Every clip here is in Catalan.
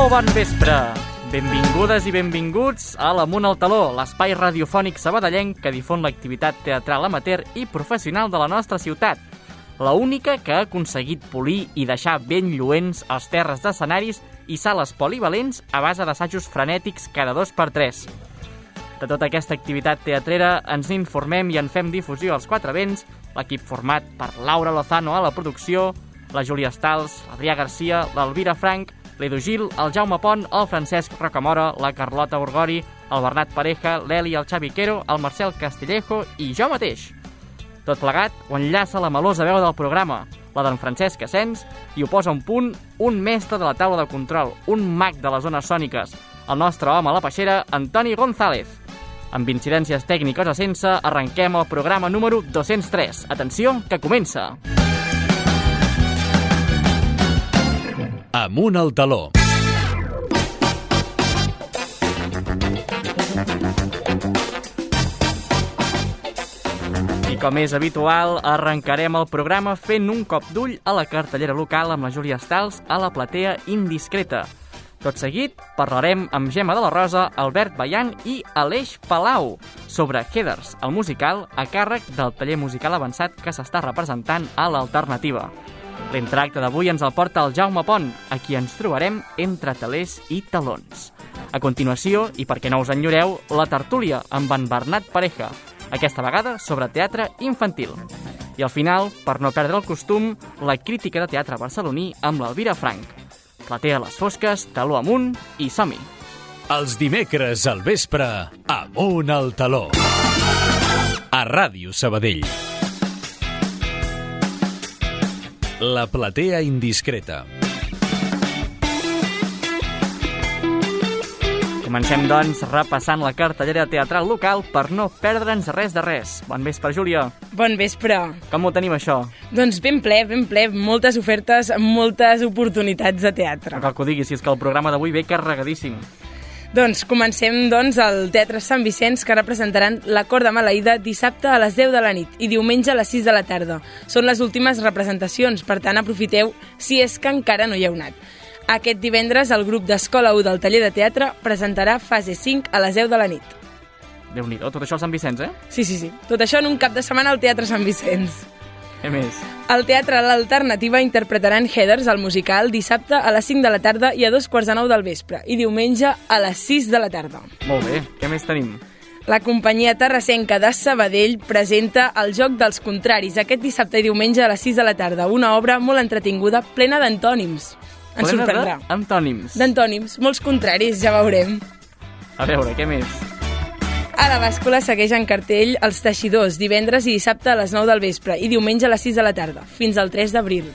Molt bon vespre! Benvingudes i benvinguts a l'Amunt al Taló, l'espai radiofònic sabadellenc que difon l'activitat teatral amateur i professional de la nostra ciutat. La única que ha aconseguit polir i deixar ben lluents els terres d'escenaris i sales polivalents a base d'assajos frenètics cada 2x3. De tota aquesta activitat teatrera ens informem i en fem difusió als quatre vents, l'equip format per Laura Lozano a la producció, la Júlia Stals, l'Adrià Garcia, l'Elvira Frank, l'Edu Gil, el Jaume Pont, el Francesc Rocamora, la Carlota Urgori, el Bernat Pareja, l'Eli, el Xavi Quero, el Marcel Castillejo i jo mateix. Tot plegat ho enllaça la melosa veu del programa, la d'en Francesc Asens, i ho posa un punt un mestre de la taula de control, un mag de les zones sòniques, el nostre home a la peixera, Antoni González. Amb incidències tècniques o sense, arrenquem el programa número 203. Atenció, que comença! Amunt al Taló. I com és habitual, arrencarem el programa fent un cop d'ull a la cartellera local amb la Júlia Stals a la platea Indiscreta. Tot seguit, parlarem amb Gemma de la Rosa, Albert Bayan i Aleix Palau sobre Heathers, el musical a càrrec del taller musical avançat que s'està representant a l'Alternativa. L'entracte d'avui ens el porta el Jaume Pont, a qui ens trobarem entre talers i talons. A continuació, i perquè no us enyoreu, la tertúlia amb en Bernat Pareja, aquesta vegada sobre teatre infantil. I al final, per no perdre el costum, la crítica de teatre barceloní amb l'Elvira Frank. Platea a les fosques, taló amunt i som-hi. Els dimecres al vespre, Amunt al Taló. A Ràdio Sabadell. La platea Indiscreta. Comencem, doncs, repassant la cartellera teatral local per no perdre'ns res de res. Bon vespre, Júlia. Bon vespre. Com ho tenim, això? Doncs ben ple, moltes ofertes, moltes oportunitats de teatre. No cal que ho diguis, si és que el programa d'avui ve carregadíssim. Doncs comencem al Teatre Sant Vicenç, que representaran La Cort de Maleïda dissabte a les 10 de la nit i diumenge a les 6 de la tarda. Són les últimes representacions, per tant aprofiteu si és que encara no hi heu anat. Aquest divendres el grup d'Escola 1 del taller de teatre presentarà Fase 5 a les 10 de la nit. Déu-n'hi-do, tot això al Sant Vicenç, eh? Sí. Tot això en un cap de setmana al Teatre Sant Vicenç. Què més? Al Teatre L'Alternativa interpretaran Heathers, el musical, dissabte a les 5 de la tarda i a 2:45 del vespre, i diumenge a les 6 de la tarda. Molt bé, què més tenim? La companyia terrassenca de Sabadell presenta El joc dels contraris aquest dissabte i diumenge a les 6 de la tarda, una obra molt entretinguda, plena d'antònims. Ens sorprendrà. Antònims. D'antònims, molts contraris, ja veurem. A veure, què més? A la bàscula segueix en cartell Els Teixidors, divendres i dissabte a les 9 del vespre i diumenge a les 6 de la tarda, fins al 3 d'abril.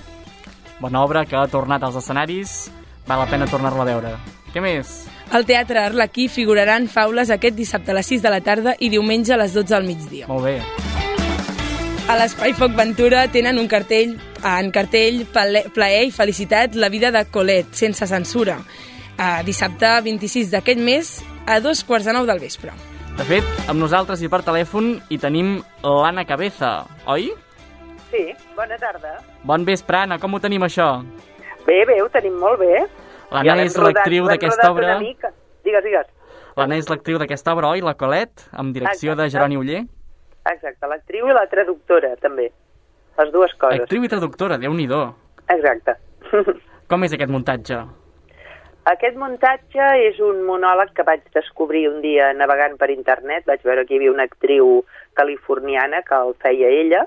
Bona obra que ha tornat als escenaris, val la pena tornar-la a veure. Què més? Al Teatre Arlequí figuraran Faules aquest dissabte a les 6 de la tarda i diumenge a les 12 del migdia. Molt bé. A l'Espai Foc Ventura tenen un cartell, Plaer i felicitat, la vida de Colette, sense censura. Dissabte 26 d'aquest mes a 2:45 del vespre. De fet, amb nosaltres i per telèfon hi tenim l'Anna Cabeza, oi? Sí, bona tarda. Bon vespre, Anna, com ho tenim, això? Bé, ho tenim molt bé. L'Anna és l'actriu d'aquesta obra. Digues. L'Anna és l'actriu d'aquesta obra, oi? La Colette, amb direcció de Jeroni Oller. Exacte, l'actriu i la traductora, també. Les dues coses. Actriu i traductora, Déu-n'hi-do. Exacte. Com és aquest muntatge? Aquest muntatge és un monòleg que vaig descobrir un dia navegant per internet. Vaig veure que hi havia una actriu californiana que el feia ella.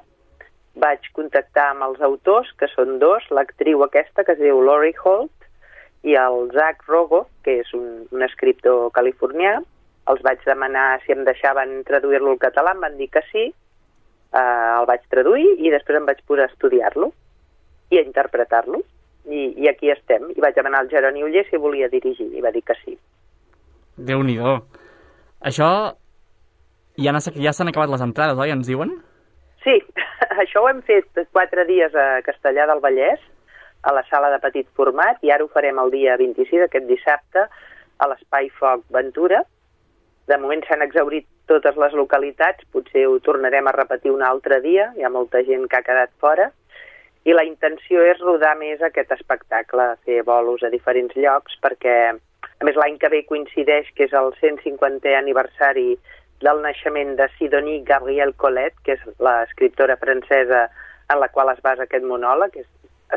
Vaig contactar amb els autors, que són dos, l'actriu aquesta, que es diu Lori Holt, i el Zach Rogo, que és un escriptor californià. Els vaig demanar si em deixaven traduir-lo al català, em van dir que sí. El vaig traduir i després em vaig posar a estudiar-lo i a interpretar-lo. I aquí estem. I vaig demanar al Jeroni Oller si volia dirigir, i va dir que sí. Déu-n'hi-do. Això ja s'han acabat les entrades, oi? Ens diuen? Sí, això ho hem fet 4 dies a Castellar del Vallès, a la sala de petit format, i ara ho farem el dia 26, aquest dissabte, a l'Espai Foc Ventura. De moment s'han exhaurit totes les localitats, potser ho tornarem a repetir un altre dia, hi ha molta gent que ha quedat fora, I la intenció és rodar més aquest espectacle, fer bolos a diferents llocs, perquè, a més, l'any que ve coincideix que és el 150è aniversari del naixement de Sidonie Gabrielle Colette, que és l'escriptora francesa en la qual es basa aquest monòleg, que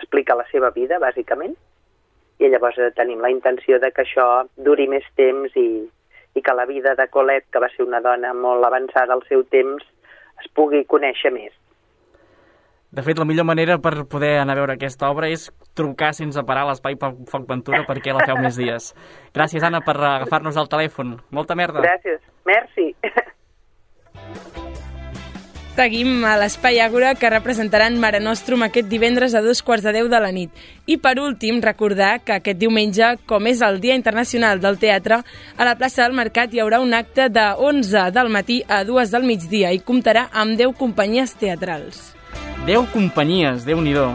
explica la seva vida, bàsicament. I llavors tenim la intenció de que això duri més temps i que la vida de Colette, que va ser una dona molt avançada al seu temps, es pugui conèixer més. De fet, la millor manera per poder anar a veure aquesta obra és trucar sense parar a l'Espai Foc Ventura perquè la feu més dies. Gràcies, Anna, per agafar-nos el telèfon. Molta merda. Gràcies. Merci. Seguim a l'Espai Àgora, que representaran Mare Nostrum aquest divendres a 2:15 de la nit. I per últim, recordar que aquest diumenge, com és el Dia Internacional del Teatre, a la plaça del Mercat hi haurà un acte de 11 del matí a 2 del migdia i comptarà amb 10 companyies teatrals. 10 companyies, Déu-n'hi-do.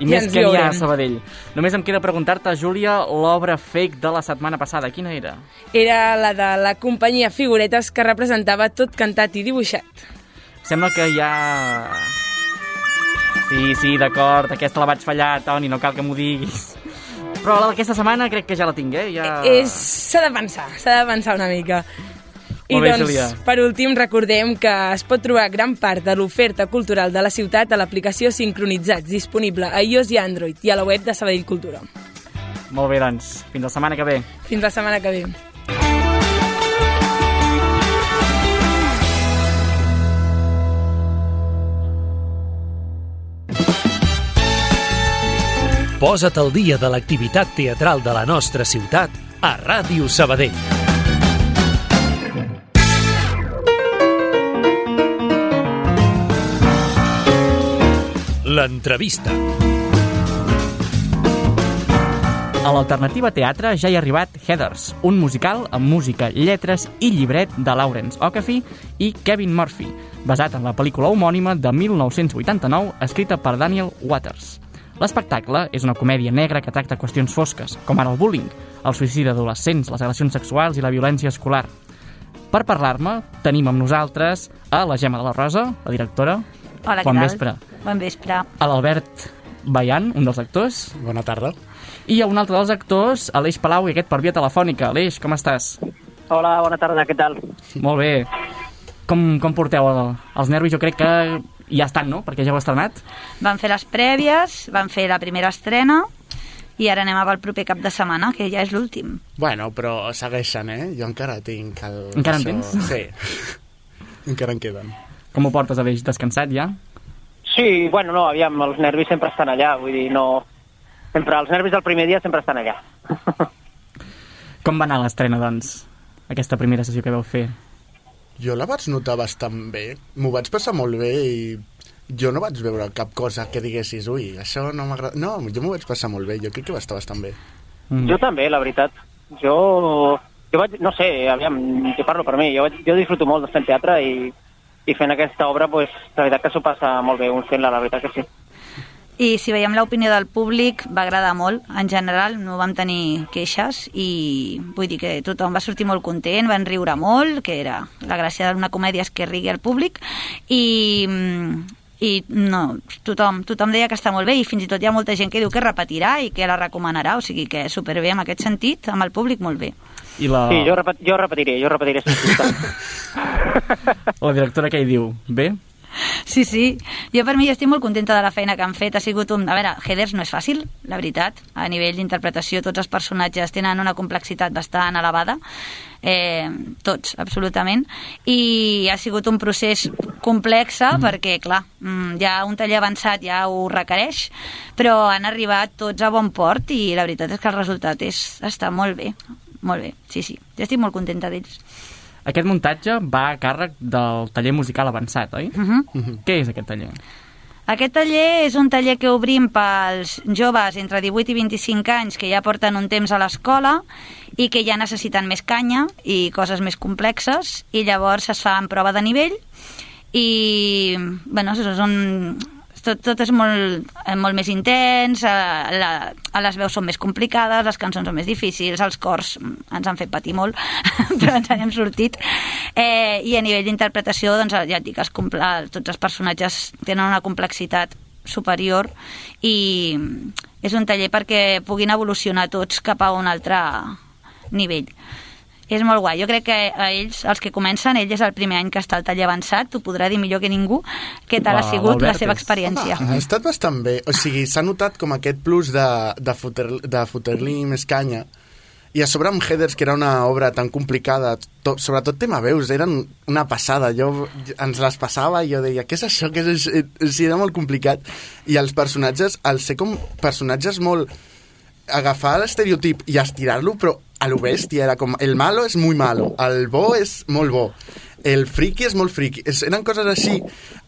I més que n'hi ha a Sabadell. Només em queda preguntar-te, Júlia, l'obra fake de la setmana passada, quina era? Era la de la companyia Figuretes, que representava tot cantat i dibuixat. Sembla que ja... Sí, d'acord, aquesta la vaig fallar, Toni, no cal que m'ho diguis. Però la d'aquesta setmana crec que ja la tinc, Ja... S'ha de pensar una mica. I Molt bé, doncs, Júlia. per últim, recordem que es pot trobar gran part de l'oferta cultural de la ciutat a l'aplicació Sincronitzats, disponible a iOS i Android, i a la web de Sabadell Cultura. Molt bé, doncs. Fins la setmana que ve. Fins la setmana que ve. Posa't al dia de l'activitat teatral de la nostra ciutat a Ràdio Sabadell. L'entrevista. A l'Alternativa Teatre ja hi ha arribat Heathers, un musical amb música, lletres i llibret de Lawrence Okafi i Kevin Murphy, basat en la pel·lícula homònima de 1989, escrita per Daniel Waters. L'espectacle és una comèdia negra que tracta qüestions fosques, com ara el bullying, el suïcidi d'adolescents, les agressions sexuals i la violència escolar. Per parlar-me, tenim amb nosaltres a la Gemma de la Rosa, la directora. Hola, què Bon tal? vespre. Bon vespre. A l'Albert Bayan, un dels actors. Bona tarda. I a un altre dels actors, Aleix Palau, i aquest per via telefònica. Aleix, com estàs? Hola, bona tarda, què tal? Molt bé. Com porteu els nervis? Jo crec que ja estan, no? Perquè ja heu estrenat. Vam fer les prèvies, vam fer la primera estrena i ara anem al proper cap de setmana, que ja és l'últim. Bueno, però segueixen, Jo encara tinc el... Encara en tens? Sí. Encara en queden. Com ho portes, Aleix? Descansat ja? Sí, bueno, no, aviam, els nervis sempre estan allà, vull dir, no... Sempre, els nervis del primer dia sempre estan allà. Com va anar l'estrena, doncs? Aquesta primera sessió que vau fer? Jo la vaig notar bastant bé. M'ho vaig passar molt bé i jo no vaig veure cap cosa que diguessis ui, això no m'agrada... No, jo m'ho vaig passar molt bé. Jo crec que va estar bastant bé. Jo també, la veritat. Jo vaig... No sé, aviam, jo parlo per mi. Jo disfruto molt de fent teatre i fent aquesta obra, pues, la veritat que s'ho passa molt bé un fent-la, la veritat que sí. I si veiem l'opinió del públic, va agradar molt. En general, no vam tenir queixes i vull dir que tothom va sortir molt content, van riure molt, que era la gràcia d'una comèdia és que rigui al públic i no, tothom deia que està molt bé i fins i tot hi ha molta gent que diu que repetirà i que la recomanarà, o sigui que superbé en aquest sentit, amb el públic molt bé. I la... Sí, jo repetiré. La directora què hi diu? Bé? Sí, jo per mi estic molt contenta de la feina que han fet, ha sigut a veure, Heathers no és fàcil, la veritat, a nivell d'interpretació tots els personatges tenen una complexitat bastant elevada, tots, absolutament, i ha sigut un procés complex perquè, clar, ja un taller avançat ja ho requereix, però han arribat tots a bon port i la veritat és que el resultat està molt bé, sí, jo estic molt contenta d'ells. Aquest muntatge va a càrrec del taller musical avançat, oi? Què és aquest taller? Aquest taller és un taller que obrim pels joves entre 18 i 25 anys que ja porten un temps a l'escola i que ja necessiten més canya i coses més complexes i llavors es fa en prova de nivell i, bueno, tot és molt més intens, les veus són més complicades, les cançons són més difícils, els cors ens han fet patir molt, però ens n'hem sortit. I a nivell d'interpretació, doncs, ja et dic, tots els personatges tenen una complexitat superior i és un taller perquè puguin evolucionar tots cap a un altre nivell. És molt guai. Jo crec que a ells, els que comencen, ell és el primer any que està al taller avançat, t'ho podrà dir millor que ningú, què tal ha sigut la seva experiència. Ha estat bastant bé. O sigui, s'ha notat com aquest plus de fotre-li més canya. I a sobre amb Heathers, que era una obra tan complicada, sobretot tema veus, eren una passada. Jo ens les passava i jo deia, què és això? Sí, era molt complicat. I els personatges, al ser com personatges molt... agafar l'estereotip i estirar-lo, però a lo bèstia, era com, el malo és muy malo, el bo és molt bo, el friki és molt friki, eren coses així.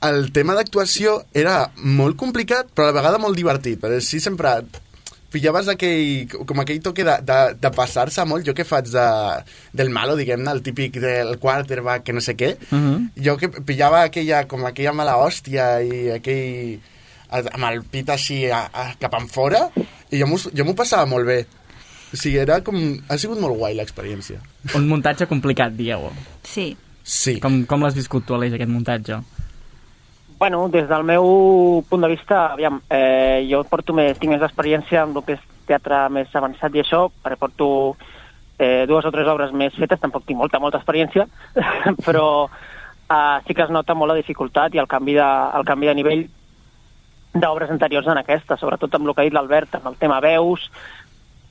El tema d'actuació era molt complicat, però a la vegada molt divertit, perquè sí sempre pillaves aquell toque de passar-se molt. Jo que faig del malo, diguem-ne, el típic del quarterback, que no sé què, jo que pillava aquella mala hòstia i aquell amb el pit així cap enfora, i jo m'ho passava molt bé. O sigui, ha sigut molt guai l'experiència. Un muntatge complicat, dieu. Sí. Com l'has viscut tu, Aleix, aquest muntatge? Bueno, des del meu punt de vista, aviam, jo tinc més experiència amb el que és teatre més avançat i això, perquè porto 2 o 3 obres més fetes, tampoc tinc molta experiència, però sí que es nota molt la dificultat i el canvi de nivell d'obres anteriors en aquesta, sobretot amb el que ha dit l'Albert, amb el tema veus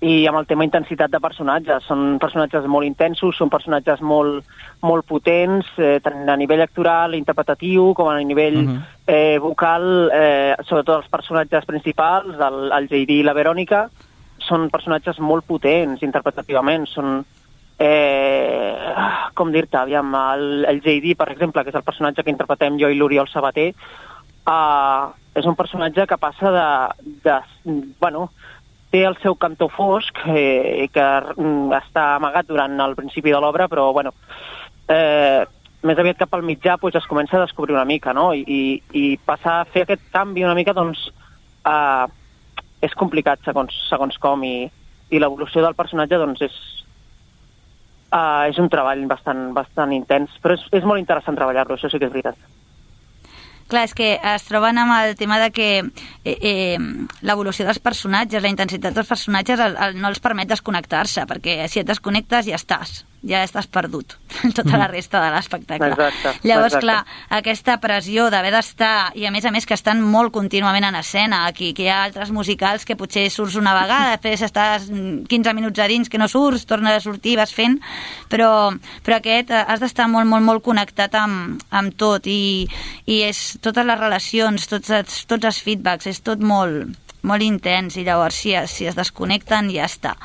i amb el tema intensitat de personatges. Són personatges molt intensos, són personatges molt, molt potents, tant a nivell actoral, interpretatiu, com a nivell vocal, sobretot els personatges principals, el JD i la Verònica, són personatges molt potents interpretativament, són... com dir-te, aviam, el JD, per exemple, que és el personatge que interpretem jo i l'Oriol Sabater, és un personatge que passa bueno, té el seu cantó fosc que està amagat durant el principi de l'obra, però bueno, més aviat cap al mitjà pues, es comença a descobrir una mica, no? I passar a fer aquest canvi una mica doncs és complicat segons com, i l'evolució del personatge doncs és un treball bastant intens, però és molt interessant treballar-lo, això sí que és veritat. Clar, és que es troben amb el tema de que l'evolució dels personatges, la intensitat dels personatges no els permet desconnectar-se, perquè si et desconnectes ja estàs perdut tota la resta de l'espectacle. Llavors, clar, aquesta pressió d'haver d'estar, i a més que estan molt contínuament en escena, aquí, que hi ha altres musicals que potser surts una vegada, després estàs 15 minuts a dins que no surts, tornes a sortir, vas fent, però aquest has d'estar molt, molt, molt connectat amb tot, i és totes les relacions, tots els feedbacks, és tot molt, molt intens, i llavors si es desconnecten ja està.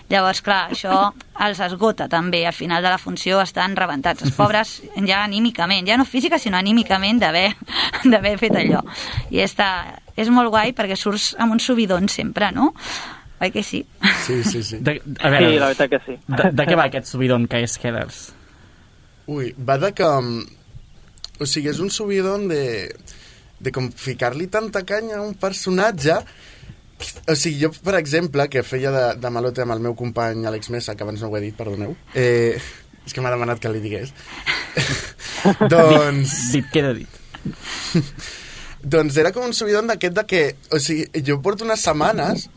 Llavors, clar, això els esgota també, al final de la funció estan rebentats, els pobres ja anímicament, ja no física sinó anímicament d'haver fet allò. I és molt guai perquè surts amb un subidon sempre, no? Oi que sí? Sí. Sí, la veritat que sí. De què va aquest subidon que és Heathers? Ui, va de que... O sigui, és un subidon de com ficar-li tanta canya a un personatge. O sigui, jo, per exemple, que feia de malote amb el meu company Àlex Mesa, que abans no ho he dit, perdoneu, és que m'ha demanat que li digués. Doncs... Queda dit. Doncs era com un subidon d'aquest de que... O sigui, jo porto unes setmanes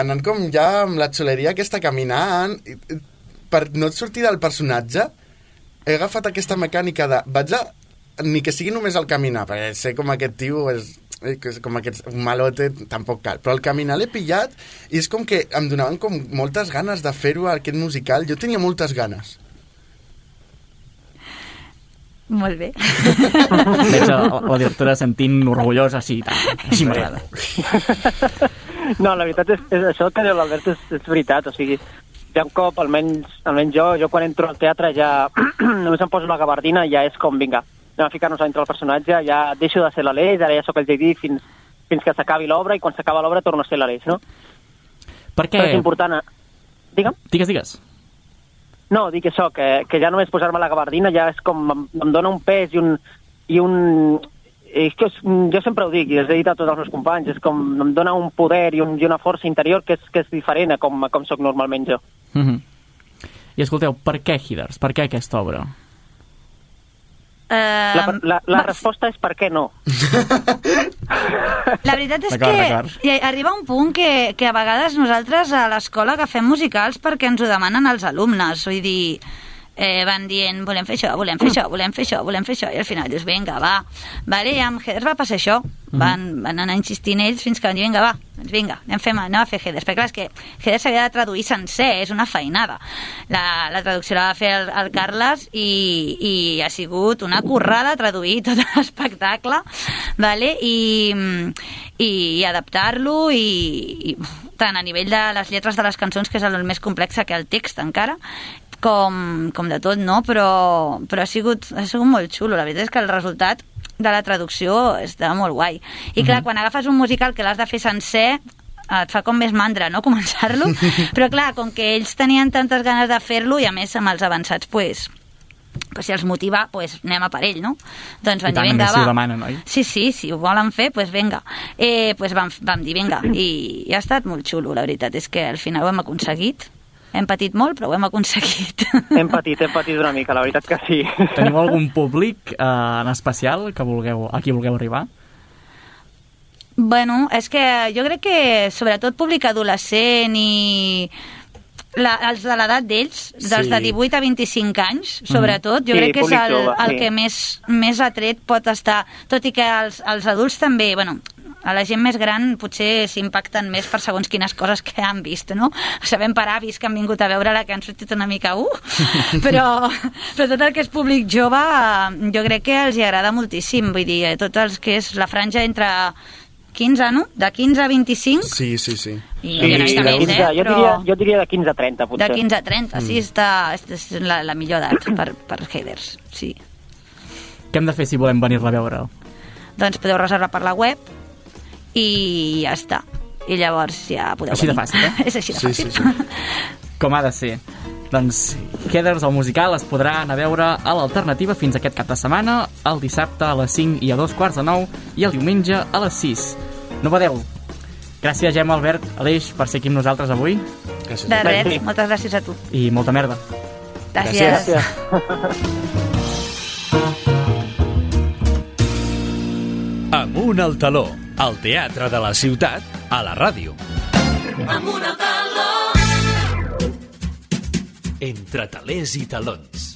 anant com ja amb la xuleria aquesta caminant, per no sortir del personatge, he agafat aquesta mecànica de... ni que sigui només el caminar, perquè sé com aquest tio és com aquest malote, tampoc cal, però el caminar l'he pillat i és com que em donaven com moltes ganes de fer-ho aquest musical. Jo tenia moltes ganes. Molt bé. Veig la directora sentint orgullosa, així m'agrada. No, la veritat és això que diu l'Albert és veritat, o sigui, ja un cop, almenys jo quan entro al teatre ja només em poso la gabardina i ja és com, vinga, anem a ficar-nos dintre del personatge, ja deixo de ser l'Aleix, ara ja sóc el JD fins que s'acabi l'obra, i quan s'acaba l'obra torno a ser l'Aleix, no? Per què? Però és important... Digue'm? Digues. No, dic això, que ja només posar-me la gabardina ja és com... em dona un pes i un... És que jo sempre ho dic, i els he dit a tots els meus companys, és com em dona un poder i una força interior que és diferent a com sóc normalment jo. I escolteu, per què Heathers? Per què aquesta obra? La resposta és per què no. La veritat és que arriba un punt que a vegades nosaltres a l'escola agafem musicals perquè ens ho demanen els alumnes. Vull dir, van dient, volem fer això, volem fer això, volem fer això, volem fer això, i al final dius, vinga, va. Vale, i amb Heathers va passar això. Van anar insistint ells fins que van dir, vinga, va, doncs vinga, anem a fer Heathers. Perquè clar, és que Heathers s'havia de traduir sencer, és una feinada. La traducció la va fer el Carles i ha sigut una currada traduir tot l'espectacle, vale? I adaptar-lo i tant a nivell de les lletres de les cançons, que és el més complex que el text encara, com de tot, no? Però ha sigut molt xulo. La veritat és que el resultat de la traducció està molt guai. I clar, quan agafes un musical que l'has de fer sencer, et fa com més mandra, no?, començar-lo. Però clar, com que ells tenien tantes ganes de fer-lo, i a més amb els avançats, pues si els motiva, pues anem a per ell, no? Doncs van dir, vinga, va. Si ho demanen, oi? Sí, si ho volen fer, pues vinga. Pues vam dir, vinga. I ha estat molt xulo, la veritat és que al final ho hem aconseguit. Hem patit molt, però ho hem aconseguit. Hem patit una mica, la veritat que sí. Teniu algun públic en especial a qui vulgueu arribar? Bueno, és que jo crec que sobretot públic adolescent i els de l'edat d'ells, dels de 18 a 25 anys, sobretot, jo crec que és el que més atret pot estar, tot i que els adults també, bueno, a la gent més gran potser s'impacten més per segons quines coses que han vist, no? Sabem per avis que han vingut a veure-la, que han sortit una mica però tot el que és públic jove jo crec que els hi agrada moltíssim, vull dir, tots els que és la franja entre 15, no? De 15 a 25? Sí. I una mica més, jo diria de 15 a 30, potser. De 15 a 30, sí, és la millor edat per Heathers, sí. Què hem de fer si volem venir-la a veure? Doncs podeu reservar per la web i ja està. I llavors ja podeu així venir. De fàcil, eh? És així de fàcil. Sí. Com ha de ser. Doncs Heathers, el musical, es podrà anar a veure a l'Alternativa fins aquest cap de setmana, el dissabte a les 5 i a 2:45 i el diumenge a les 6. No badeu. Gràcies, Gemma, Albert, Aleix, per ser aquí amb nosaltres avui. Gràcies. De res, moltes gràcies a tu. I molta merda. Gràcies. Amunt al taló, al teatre de la ciutat, a la ràdio. Amunt al taló. Entre talers i talons.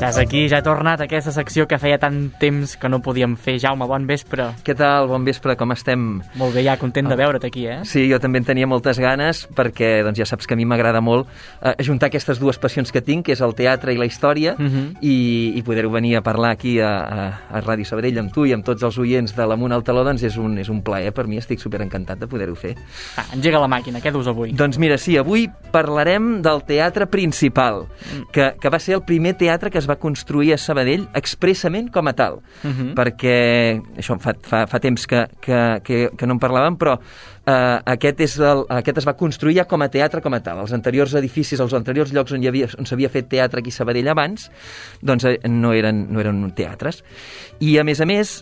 Estàs aquí, ja he tornat a aquesta secció que feia tant temps que no podíem fer. Jaume, bon vespre. Què tal? Bon vespre, com estem? Molt bé, ja content de veure't aquí, eh? Sí, jo també en tenia moltes ganes perquè doncs, ja saps que a mi m'agrada molt ajuntar aquestes dues passions que tinc, que és el teatre i la història, i poder-ho venir a parlar aquí a Ràdio Sabadell amb tu i amb tots els oients de l'Amunt al Taló, doncs és un plaer per mi, estic superencantat de poder-ho fer. Engega la màquina, què dus avui? Doncs mira, sí, avui parlarem del Teatre Principal, que va ser el primer teatre que es va construir a Sabadell expressament com a tal, perquè això fa temps que no en parlàvem, però aquest es va construir ja com a teatre com a tal. Els anteriors edificis, els anteriors llocs on s'havia fet teatre aquí a Sabadell abans, doncs no eren teatres. I a més,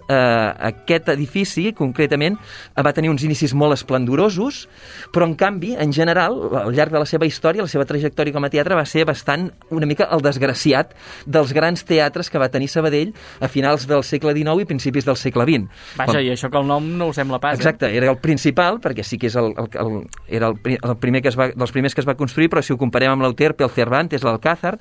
aquest edifici, concretament, va tenir uns inicis molt esplendorosos, però en canvi, en general, al llarg de la seva història, la seva trajectòria com a teatre va ser bastant una mica el desgraciat dels grans teatres que va tenir Sabadell a finals del segle XIX i principis del segle XX. Vaja, i això que el nom no ho sembla pas. Exacte, era el Principal, perquè sí que és era el primer dels primers que es va construir, però si ho comparem amb l'Euterpe, el Cervantes, l'Alcázar,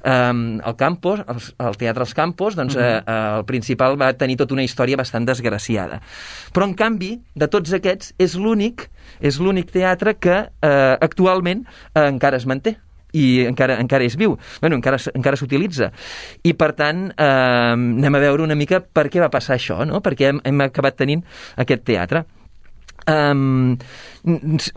el Campos, el Teatre als Campos, doncs el Principal va tenir tota una història bastant desgraciada. Però, en canvi, de tots aquests, és l'únic teatre que actualment encara es manté i encara és viu, encara s'utilitza. I, per tant, anem a veure una mica per què va passar això, no? Perquè hem acabat tenint aquest teatre.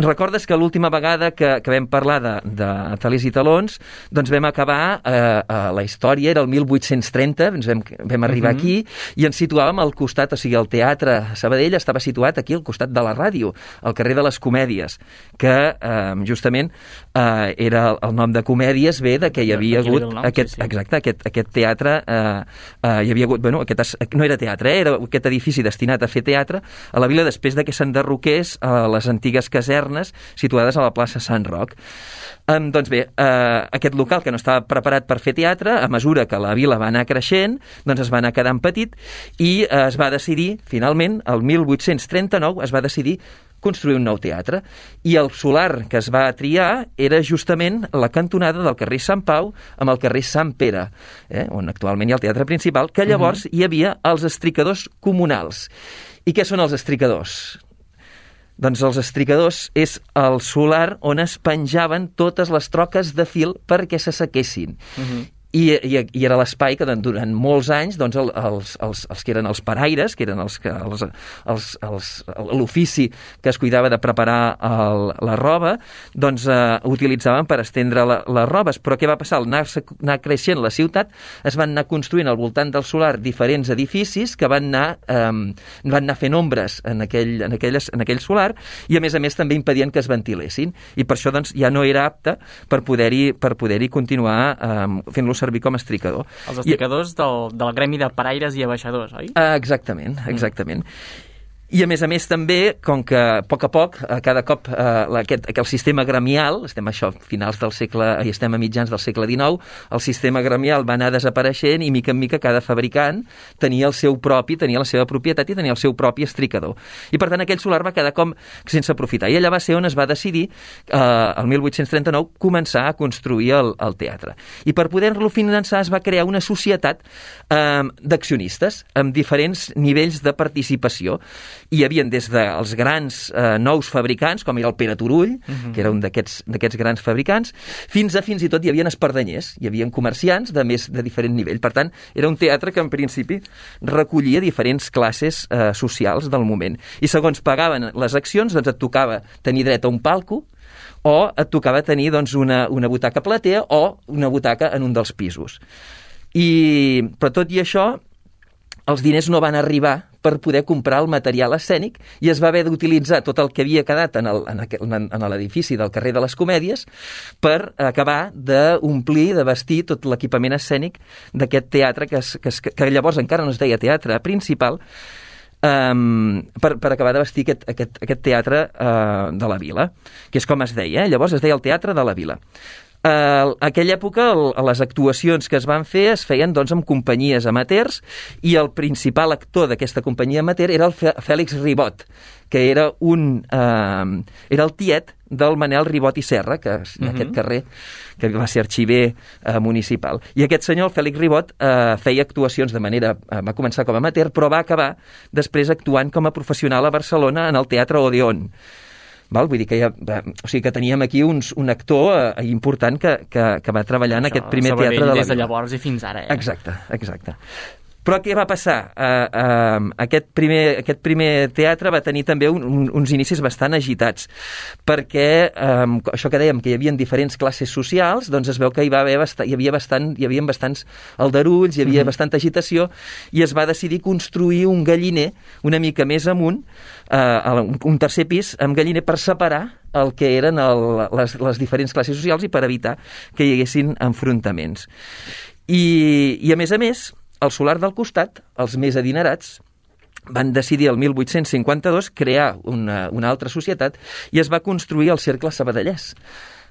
Recordes que l'última vegada que vam parlar de talers i talons, doncs vam acabar la història, era el 1830, ens vam arribar aquí i ens situàvem al costat, o sigui, el teatre Sabadell estava situat aquí al costat de la ràdio, al carrer de les Comèdies, que justament era el nom de Comèdies ve de que hi havia hagut aquest teatre, hi havia hagut, no era teatre, era aquest edifici destinat a fer teatre a la vila després de que s'enderrocés perruquers a les antigues casernes situades a la plaça Sant Roc. Doncs bé, aquest local que no estava preparat per fer teatre, a mesura que la vila va anar creixent, doncs es va anar quedant petit i es va decidir, finalment, el 1839 es va decidir construir un nou teatre. I el solar que es va triar era justament la cantonada del carrer Sant Pau amb el carrer Sant Pere, on actualment hi ha el teatre principal, que llavors hi havia els estricadors comunals. I què són els estricadors? Doncs els estricadors és el solar on es penjaven totes les troques de fil perquè s'assequessin. I era l'espai que durant molts anys doncs, els que eren els paraires, que eren l'ofici que es cuidava de preparar la roba, doncs utilitzaven per estendre les robes. Però què va passar? Al anar creixent la ciutat, es van anar construint al voltant del solar diferents edificis que van anar fent ombres en aquell solar i, a més també impedien que es ventilessin. I per això doncs, ja no era apte per poder-hi continuar fent-lo servir com a estricador. Els estricadors del gremi de paraires i abaixadors, oi? Exactament. I, a més també, com que a poc, cada cop el sistema gremial, estem a mitjans del segle XIX, el sistema gremial va anar desapareixent i, mica en mica, cada fabricant tenia la seva propietat i tenia el seu propi estricador. I, per tant, aquell solar va quedar com sense aprofitar. I allà va ser on es va decidir, el 1839, començar a construir el teatre. I per poder-lo finançar es va crear una societat d'accionistes amb diferents nivells de participació. Hi havia des dels grans nous fabricants, com era el Pere Turull, que era un d'aquests grans fabricants, fins i tot hi havia espardenyers, hi havia comerciants de diferent nivell. Per tant, era un teatre que en principi recollia diferents classes socials del moment. I segons pagaven les accions, doncs et tocava tenir dret a un palco o et tocava tenir doncs, una butaca platea o una butaca en un dels pisos. Però tot i això, els diners no van arribar per poder comprar el material escènic i es va haver d'utilitzar tot el que havia quedat en l'edifici del carrer de les Comèdies per acabar d'omplir, de vestir tot l'equipament escènic d'aquest teatre que llavors encara no es deia teatre principal, per acabar de vestir aquest teatre de la vila, que és com es deia, llavors es deia el Teatre de la Vila. A aquella època les actuacions que es van fer es feien doncs, amb companyies amateurs i el principal actor d'aquesta companyia amateur era el Fèlix Ribot, que era el tiet del Manel Ribot i Serra, que és aquest carrer, que va ser arxiver municipal. I aquest senyor, el Fèlix Ribot, feia actuacions va començar com a amateur, però va acabar després actuant com a professional a Barcelona en el Teatre Odeón. Vull dir que teníem aquí un actor important que va treballar en aquest primer teatre de la des de llavors i fins ara. Exacte. Però què va passar? Aquest primer teatre va tenir també uns inicis bastant agitats, perquè això que dèiem, que hi havia diferents classes socials, doncs es veu que hi havia bastants aldarulls, hi havia bastanta agitació, i es va decidir construir un galliner una mica més amunt, un tercer pis amb galliner per separar el que eren les diferents classes socials i per evitar que hi haguessin enfrontaments. I a més, al solar del costat, els més adinerats van decidir el 1852 crear una altra societat i es va construir el Cercle Sabadellès,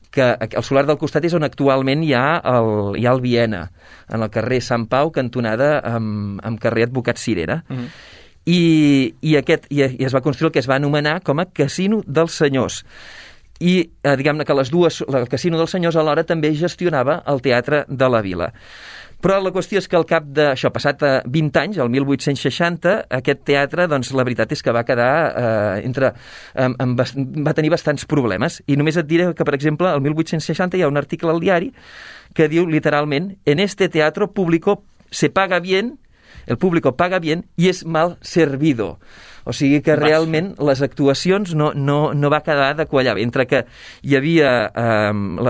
que el solar del costat és on actualment hi ha el Viena, en el carrer Sant Pau, cantonada amb carrer Advocat Cirera. I es va construir el que es va anomenar com a Casino dels Senyors. I diguem-ne que el Casino dels Senyors alhora també gestionava el Teatre de la Vila. Però la qüestió és que al cap d'això, passat 20 anys, el 1860, aquest teatre, doncs la veritat és que va quedar va tenir bastants problemes. I només et diré que, per exemple, el 1860 hi ha un article al diari que diu literalment: en este teatro público se paga bien, el público paga bien y es mal servido. O sigui que realment les actuacions no va quedar de quallar bé. Entre que hi havia...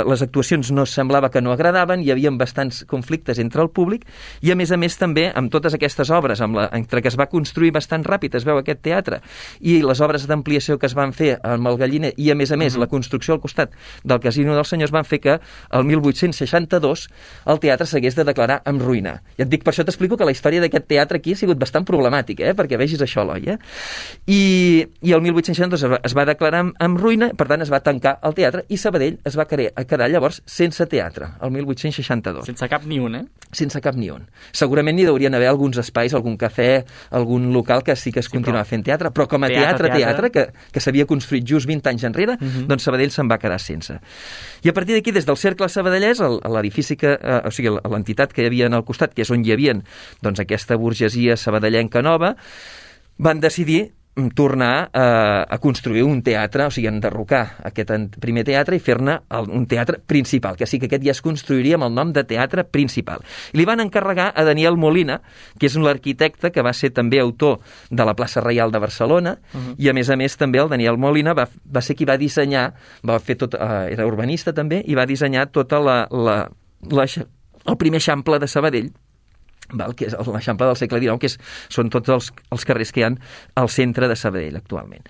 les actuacions no semblava que no agradaven, hi havia bastants conflictes entre el públic, i a més també amb totes aquestes obres, entre que es va construir bastant ràpid, es veu aquest teatre, i les obres d'ampliació que es van fer amb el galliner, i a més la construcció al costat del Casino dels Senyors, van fer que el 1862 el teatre s'hagués de declarar en ruïna. I et dic, per això t'explico que la història d'aquest teatre aquí ha sigut bastant problemàtica, perquè vegis això, Eloi, I el 1862 es va declarar en ruïna, per tant es va tancar el teatre, i Sabadell es va quedar llavors sense teatre, el 1862. Sense cap ni un, Sense cap ni un. Segurament hi haurien haver alguns espais, algun cafè, algun local que sí que es continuava fent teatre, però com a teatre que s'havia construït just 20 anys enrere, doncs Sabadell se'n va quedar sense. I a partir d'aquí, des del Cercle Sabadellès, l'edifici o sigui, l'entitat que hi havia al costat, que és on hi havia doncs, aquesta burgesia sabadellenca nova, van decidir tornar a construir un teatre, o sigui, enderrocar aquest primer teatre i fer-ne un teatre principal, que sí que aquest ja es construiria amb el nom de Teatre Principal. I li van encarregar a Daniel Molina, que és l'arquitecte que va ser també autor de la plaça Reial de Barcelona, i a més també el Daniel Molina va ser qui va dissenyar, era urbanista també, i va dissenyar tota el primer eixample de Sabadell, que és l'eixample del segle XIX, que són tots els carrers que hi ha al centre de Sabadell actualment.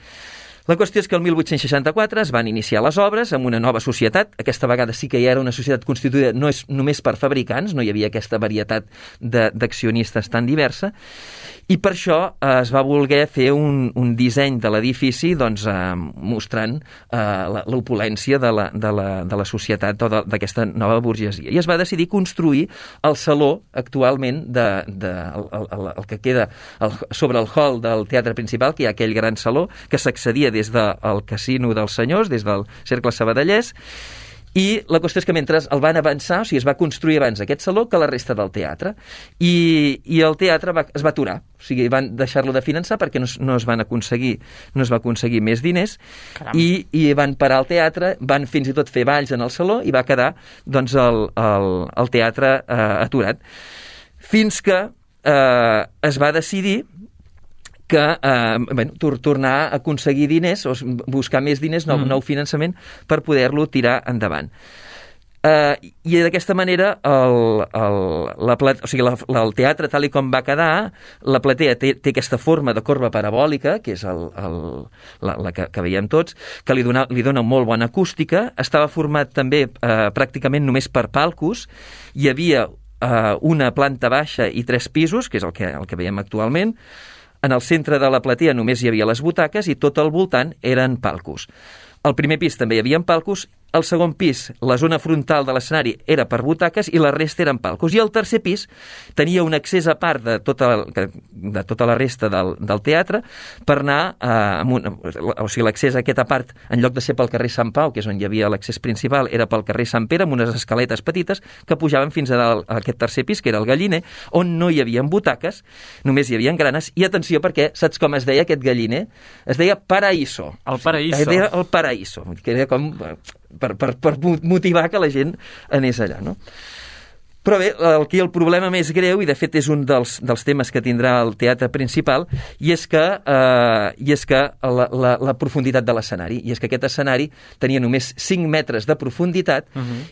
La qüestió és que el 1864 es van iniciar les obres amb una nova societat. Aquesta vegada sí que hi era una societat constituïda no és només per fabricants, no hi havia aquesta varietat d'accionistes tan diversa, i per això es va voler fer un disseny de l'edifici doncs, mostrant l'opulència de la societat o d'aquesta nova burgesia. I es va decidir construir el saló actualment el que queda sobre el hall del teatre principal, que hi ha aquell gran saló que s'accedia des del Casino dels Senyors, des del Cercle Sabadellès, i la qüestió és que mentre el van avançar, o sigui, es va construir abans aquest saló que la resta del teatre, i el teatre es va aturar, o sigui, van deixar-lo de finançar perquè no es va aconseguir més diners, i van parar el teatre, van fins i tot fer balls en el saló, i va quedar doncs, el teatre aturat. Fins que es va decidir que tornar a aconseguir diners, o buscar més diners, nou finançament, per poder-lo tirar endavant. I d'aquesta manera el teatre, tal com va quedar, la platea té aquesta forma de corba parabòlica, que és la que veiem tots, que li dona molt bona acústica. Estava format també pràcticament només per palcos. Hi havia una planta baixa i 3 pisos, que és el que veiem actualment. En el centre de la platea només hi havia les butaques i tot al voltant eren palcos. Al primer pis també hi havia palcos, al segon pis la zona frontal de l'escenari era per butaques i la resta eren palcos. I al tercer pis tenia un accés a part de tota la resta del teatre per anar o sigui, l'accés a aquesta part, en lloc de ser pel carrer Sant Pau, que és on hi havia l'accés principal, era pel carrer Sant Pere, amb unes escaletes petites que pujaven fins a dalt a aquest tercer pis, que era el Galliner, on no hi havia butaques, només hi havia granes. I atenció, perquè saps com es deia aquest Galliner? Es deia Paraíso. El Paraíso. Es deia el Paraíso, que era com per motivar que la gent anés allà, no? Però bé, aquí el problema més greu, i de fet és un dels temes que tindrà el teatre principal, i és que la profunditat de l'escenari, i és que aquest escenari tenia només 5 metres de profunditat,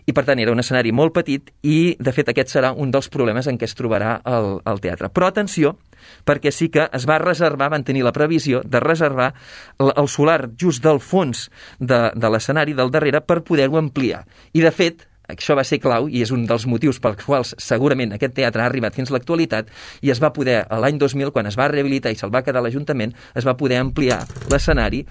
i per tant era un escenari molt petit, i de fet aquest serà un dels problemes en què es trobarà el teatre. Però atenció, perquè sí que es va reservar, van tenir la previsió de reservar el solar just del fons de l'escenari del darrere per poder-ho ampliar. I de fet, això va ser clau i és un dels motius pels quals segurament aquest teatre ha arribat fins a l'actualitat, i es va poder, l'any 2000, quan es va rehabilitar i se'l va quedar l'Ajuntament, es va poder ampliar l'escenari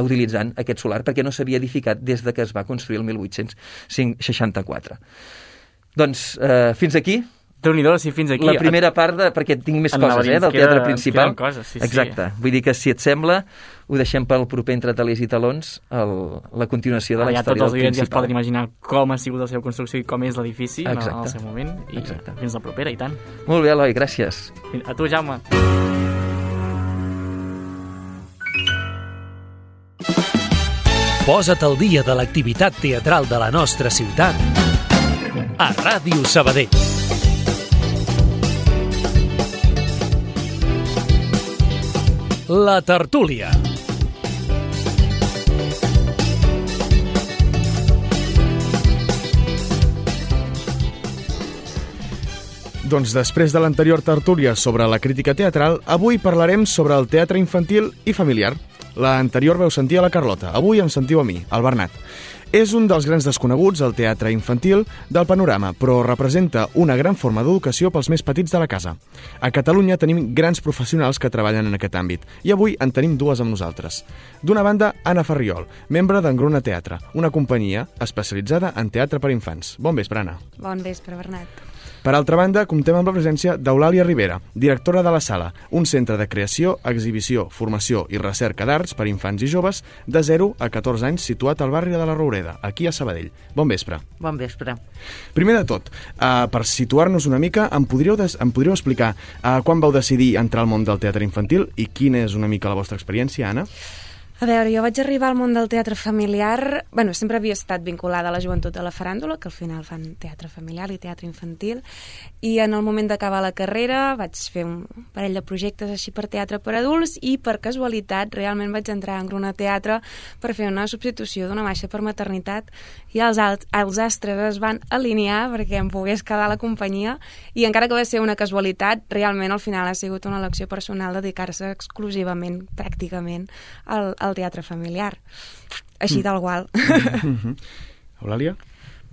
utilitzant aquest solar, perquè no s'havia edificat des que es va construir el 1864. Doncs fins aquí. Déu-n'hi-do, si fins aquí. La primera part, perquè tinc més coses, del teatre principal. Coses, sí, exacte. Sí. Vull dir que, si et sembla, ho deixem pel proper Entre talers i talons, la continuació de la història del principal. Tots els oients ja es poden imaginar com ha sigut la seva construcció i com és l'edifici en el seu moment. I fins la propera, i tant. Molt bé, Eloi, gràcies. A tu, Jaume. Posa't al dia de l'activitat teatral de la nostra ciutat a Ràdio Sabadell. La tertúlia. Doncs després de l'anterior tertúlia sobre la crítica teatral, avui parlarem sobre el teatre infantil i familiar. L'anterior veu sentir a la Carlota, avui em sentiu a mi, al Bernat. És un dels grans desconeguts al teatre infantil del panorama, però representa una gran forma d'educació pels més petits de la casa. A Catalunya tenim grans professionals que treballen en aquest àmbit, i avui en tenim dues amb nosaltres. D'una banda, Anna Farriol, membre d'Engruna Teatre, una companyia especialitzada en teatre per infants. Bon vespre, Anna. Bon vespre, Bernat. Per altra banda, comptem amb la presència d'Eulàlia Rivera, directora de la Sala, un centre de creació, exhibició, formació i recerca d'arts per infants i joves de 0 a 14 anys situat al barri de la Roureda, aquí a Sabadell. Bon vespre. Bon vespre. Primer de tot, per situar-nos una mica, em podríeu explicar quan vau decidir entrar al món del teatre infantil i quina és una mica la vostra experiència, Anna? A veure, jo vaig arribar al món del teatre familiar... Bueno, sempre havia estat vinculada a la joventut de la faràndula, que al final fan teatre familiar i teatre infantil, i en el moment d'acabar la carrera vaig fer un parell de projectes així per teatre per adults i per casualitat realment vaig entrar en Engruna Teatre per fer una substitució d'una baixa per maternitat i els astres es van alinear perquè em pogués quedar a la companyia i encara que va ser una casualitat, realment al final ha sigut una elecció personal dedicar-se exclusivament, pràcticament, al teatre familiar. Així del qual. Eulàlia?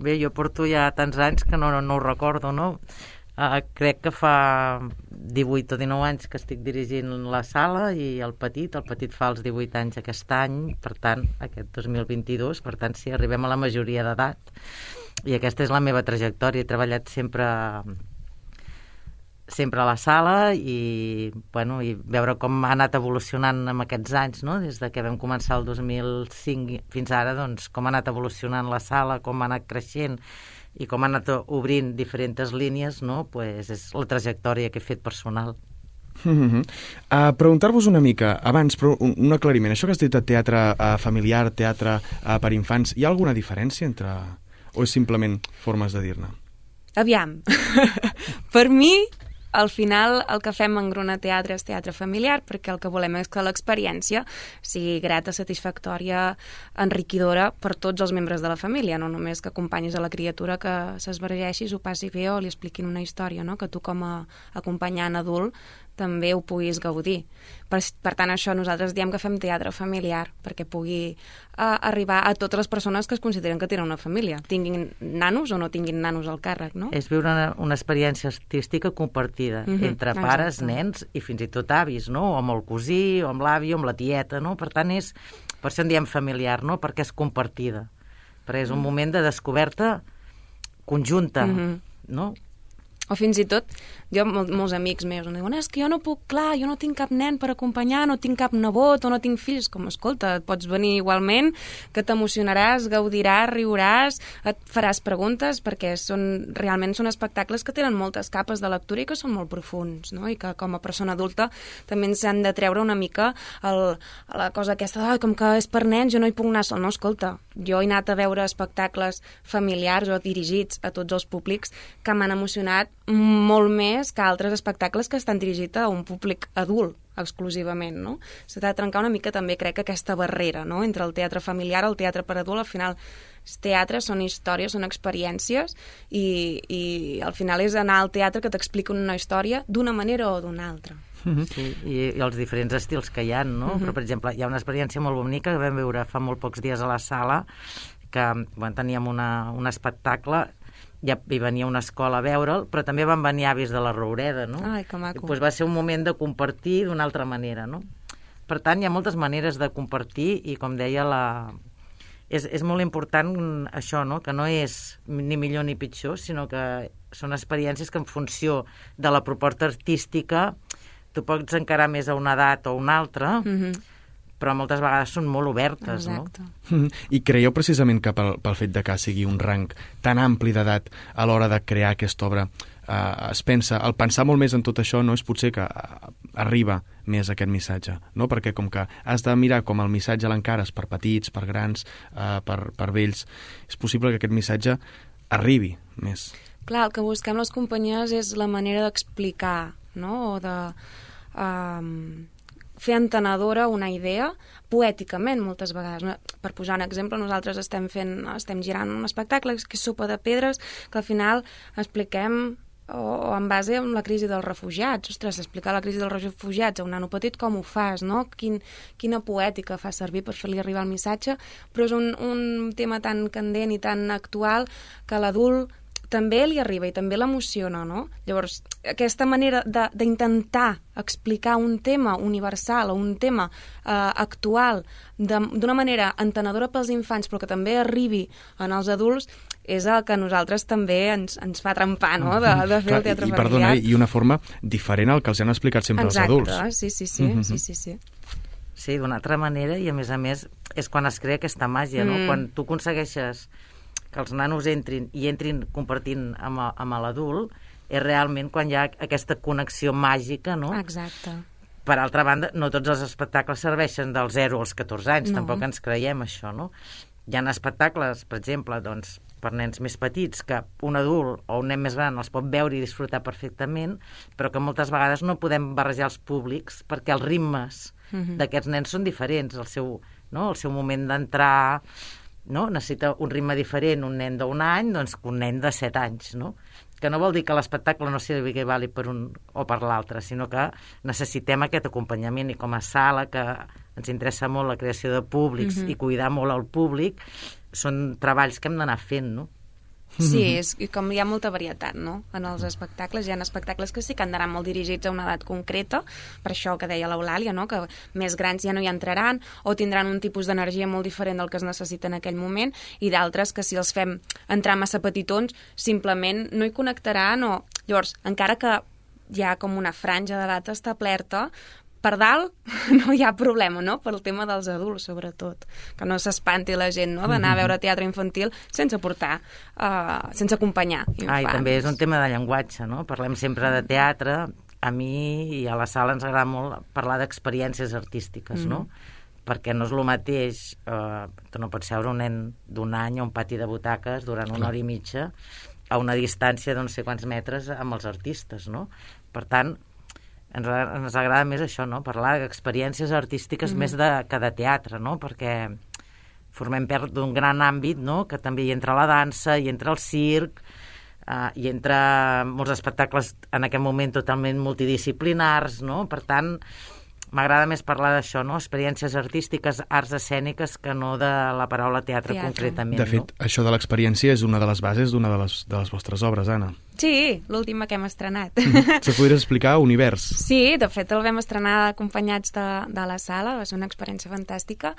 Bé, jo porto ja tants anys que no ho recordo, no? Crec que fa 18 o 19 anys que estic dirigint la sala i el petit fa els 18 anys aquest any, per tant, aquest 2022, per tant, sí, arribem a la majoria d'edat. I aquesta és la meva trajectòria. He treballat sempre a la sala i veure com ha anat evolucionant en aquests anys, no? Des de que vam començar el 2005 fins ara, doncs, com ha anat evolucionant la sala, com ha anat creixent i com ha anat obrint diferents línies, no? Pues és la trajectòria que he fet personal. Preguntar-vos una mica, abans, però un aclariment. Això que has dit de teatre familiar, teatre per infants, hi ha alguna diferència entre... o és simplement formes de dir-ne? Aviam. Per mi, al final, el que fem en Engruna Teatre és teatre familiar, perquè el que volem és que l'experiència sigui grata, satisfactòria, enriquidora per tots els membres de la família, no només que acompanyis a la criatura que s'esvergeixi, s'ho passi bé o li expliquin una història, no? Que tu com a acompanyant adult també ho puguis gaudir. Per tant, això nosaltres diem que fem teatre familiar, perquè pugui arribar a totes les persones que es consideren que tenen una família, tinguin nanos o no tinguin nanos al càrrec, no? És viure una experiència artística compartida entre pares, nens i fins i tot avis, no? O amb el cosí, o amb l'avi, o amb la tieta, no? Per tant, per això en diem familiar, no? Perquè és compartida. Perquè és un moment de descoberta conjunta, no? O fins i tot, jo, molts amics meus em diuen, és que jo no puc, clar, jo no tinc cap nen per acompanyar, no tinc cap nebot o no tinc fills. Com, escolta, pots venir igualment, que t'emocionaràs, gaudiràs, riuràs, et faràs preguntes, perquè realment són espectacles que tenen moltes capes de lectura i que són molt profuns, no? I que com a persona adulta també ens han de treure una mica la cosa aquesta, com que és per nens, jo no hi puc anar sol. No, escolta, jo he anat a veure espectacles familiars o dirigits a tots els públics que m'han emocionat molt més que altres espectacles que estan dirigits a un públic adult exclusivament, no? S'ha de trencar una mica també, crec, aquesta barrera, no? Entre el teatre familiar i el teatre per adult. Al final, els teatres són històries, són experiències i al final és anar al teatre que t'expliquen una història d'una manera o d'una altra. Sí, i els diferents estils que hi ha, no? Però, per exemple, hi ha una experiència molt bonica que vam veure fa molt pocs dies a la sala, que teníem un espectacle, ja hi venia una escola a veure'l, però també van venir avis de la Roureda, no? Ai, que maco. Pues va ser un moment de compartir d'una altra manera, no? Per tant, hi ha moltes maneres de compartir i, com deia, és molt important això, no? Que no és ni millor ni pitjor, sinó que són experiències que en funció de la proposta artística tu pots encarar més a una edat o a una altra, però moltes vegades són molt obertes, exacte, no? I creieu precisament que pel fet de que sigui un rang tan ampli d'edat a l'hora de crear aquesta obra, es pensa, al pensar molt més en tot això, no és potser que arriba més aquest missatge, no? Perquè com que has de mirar com el missatge l'encares per petits, per grans, per vells, és possible que aquest missatge arribi més. Clar, el que busquem les companyies és la manera d'explicar, no? O de fer entenedora una idea, poèticament moltes vegades. Per posar un exemple, nosaltres estem girant un espectacle que és Sopa de Pedres, que al final expliquem o en base a la crisi dels refugiats. Ostres, explicar la crisi dels refugiats a un nano petit com ho fas, no? Quina poètica fa servir per fer-li arribar el missatge, però és un tema tan candent i tan actual que l'adult també li arriba i també l'emociona, no? Llavors, aquesta manera d'intentar explicar un tema universal o un tema actual d'una manera entenedora pels infants però que també arribi en els adults és el que a nosaltres també ens fa trempar, no?, de fer el teatre familiar. Perdona, i una forma diferent al que els han explicat sempre els adults. Exacte, sí. Sí, d'una altra manera, i a més, és quan es crea aquesta màgia, no? Quan tu aconsegueixes que els nanos entrin compartint amb l'adult, és realment quan hi ha aquesta connexió màgica, no? Exacte. Per altra banda, no tots els espectacles serveixen dels 0 als 14 anys, tampoc ens creiem això, no? Hi ha espectacles, per exemple, doncs, per nens més petits, que un adult o un nen més gran els pot veure i disfrutar perfectament, però que moltes vegades no podem barrejar els públics perquè els ritmes d'aquests nens són diferents. El seu moment d'entrar, no? Necessita un ritme diferent un nen d'1 any doncs, que un nen de 7 anys, no? Que no vol dir que l'espectacle no sigui vàlid per un o per l'altre, sinó que necessitem aquest acompanyament, i com a sala, que ens interessa molt la creació de públics i cuidar molt el públic, són treballs que hem d'anar fent, no? Sí, és com hi ha molta varietat, no?, en els espectacles. Hi ha espectacles que sí que han d'anar molt dirigits a una edat concreta, per això que deia l'Eulàlia, no?, que més grans ja no hi entraran o tindran un tipus d'energia molt diferent del que es necessita en aquell moment, i d'altres que si els fem entrar massa petitons simplement no hi connectaran, o llavors, encara que hi ha com una franja d'edat establerta, per dalt no hi ha problema, no?, pel tema dels adults, sobretot. Que no s'espanti la gent, no?, d'anar a veure teatre infantil sense portar, sense acompanyar infants. I també és un tema de llenguatge, no? Parlem sempre de teatre. A mi i a la sala ens agrada molt parlar d'experiències artístiques, no? Perquè no és el mateix, tu no pots seure un nen d'1 any a un pati de butaques durant 1 hora i mitja a una distància de no sé quants metres amb els artistes, no? Per tant, ens agrada més això, no?, parlar d'experiències artístiques més que de teatre, no?, perquè formem part d'un gran àmbit, no?, que també hi entra la dansa, hi entra el circ, hi entra molts espectacles en aquest moment totalment multidisciplinars, no?, per tant, m'agrada més parlar d'això, no?, experiències artístiques, arts escèniques, que no de la paraula teatre concretament. De fet, això de l'experiència és una de les bases d'una de les vostres obres, Anna. Sí, l'última que hem estrenat. Se podries explicar Univers? Sí, de fet el vam estrenar acompanyats de la sala, va ser una experiència fantàstica.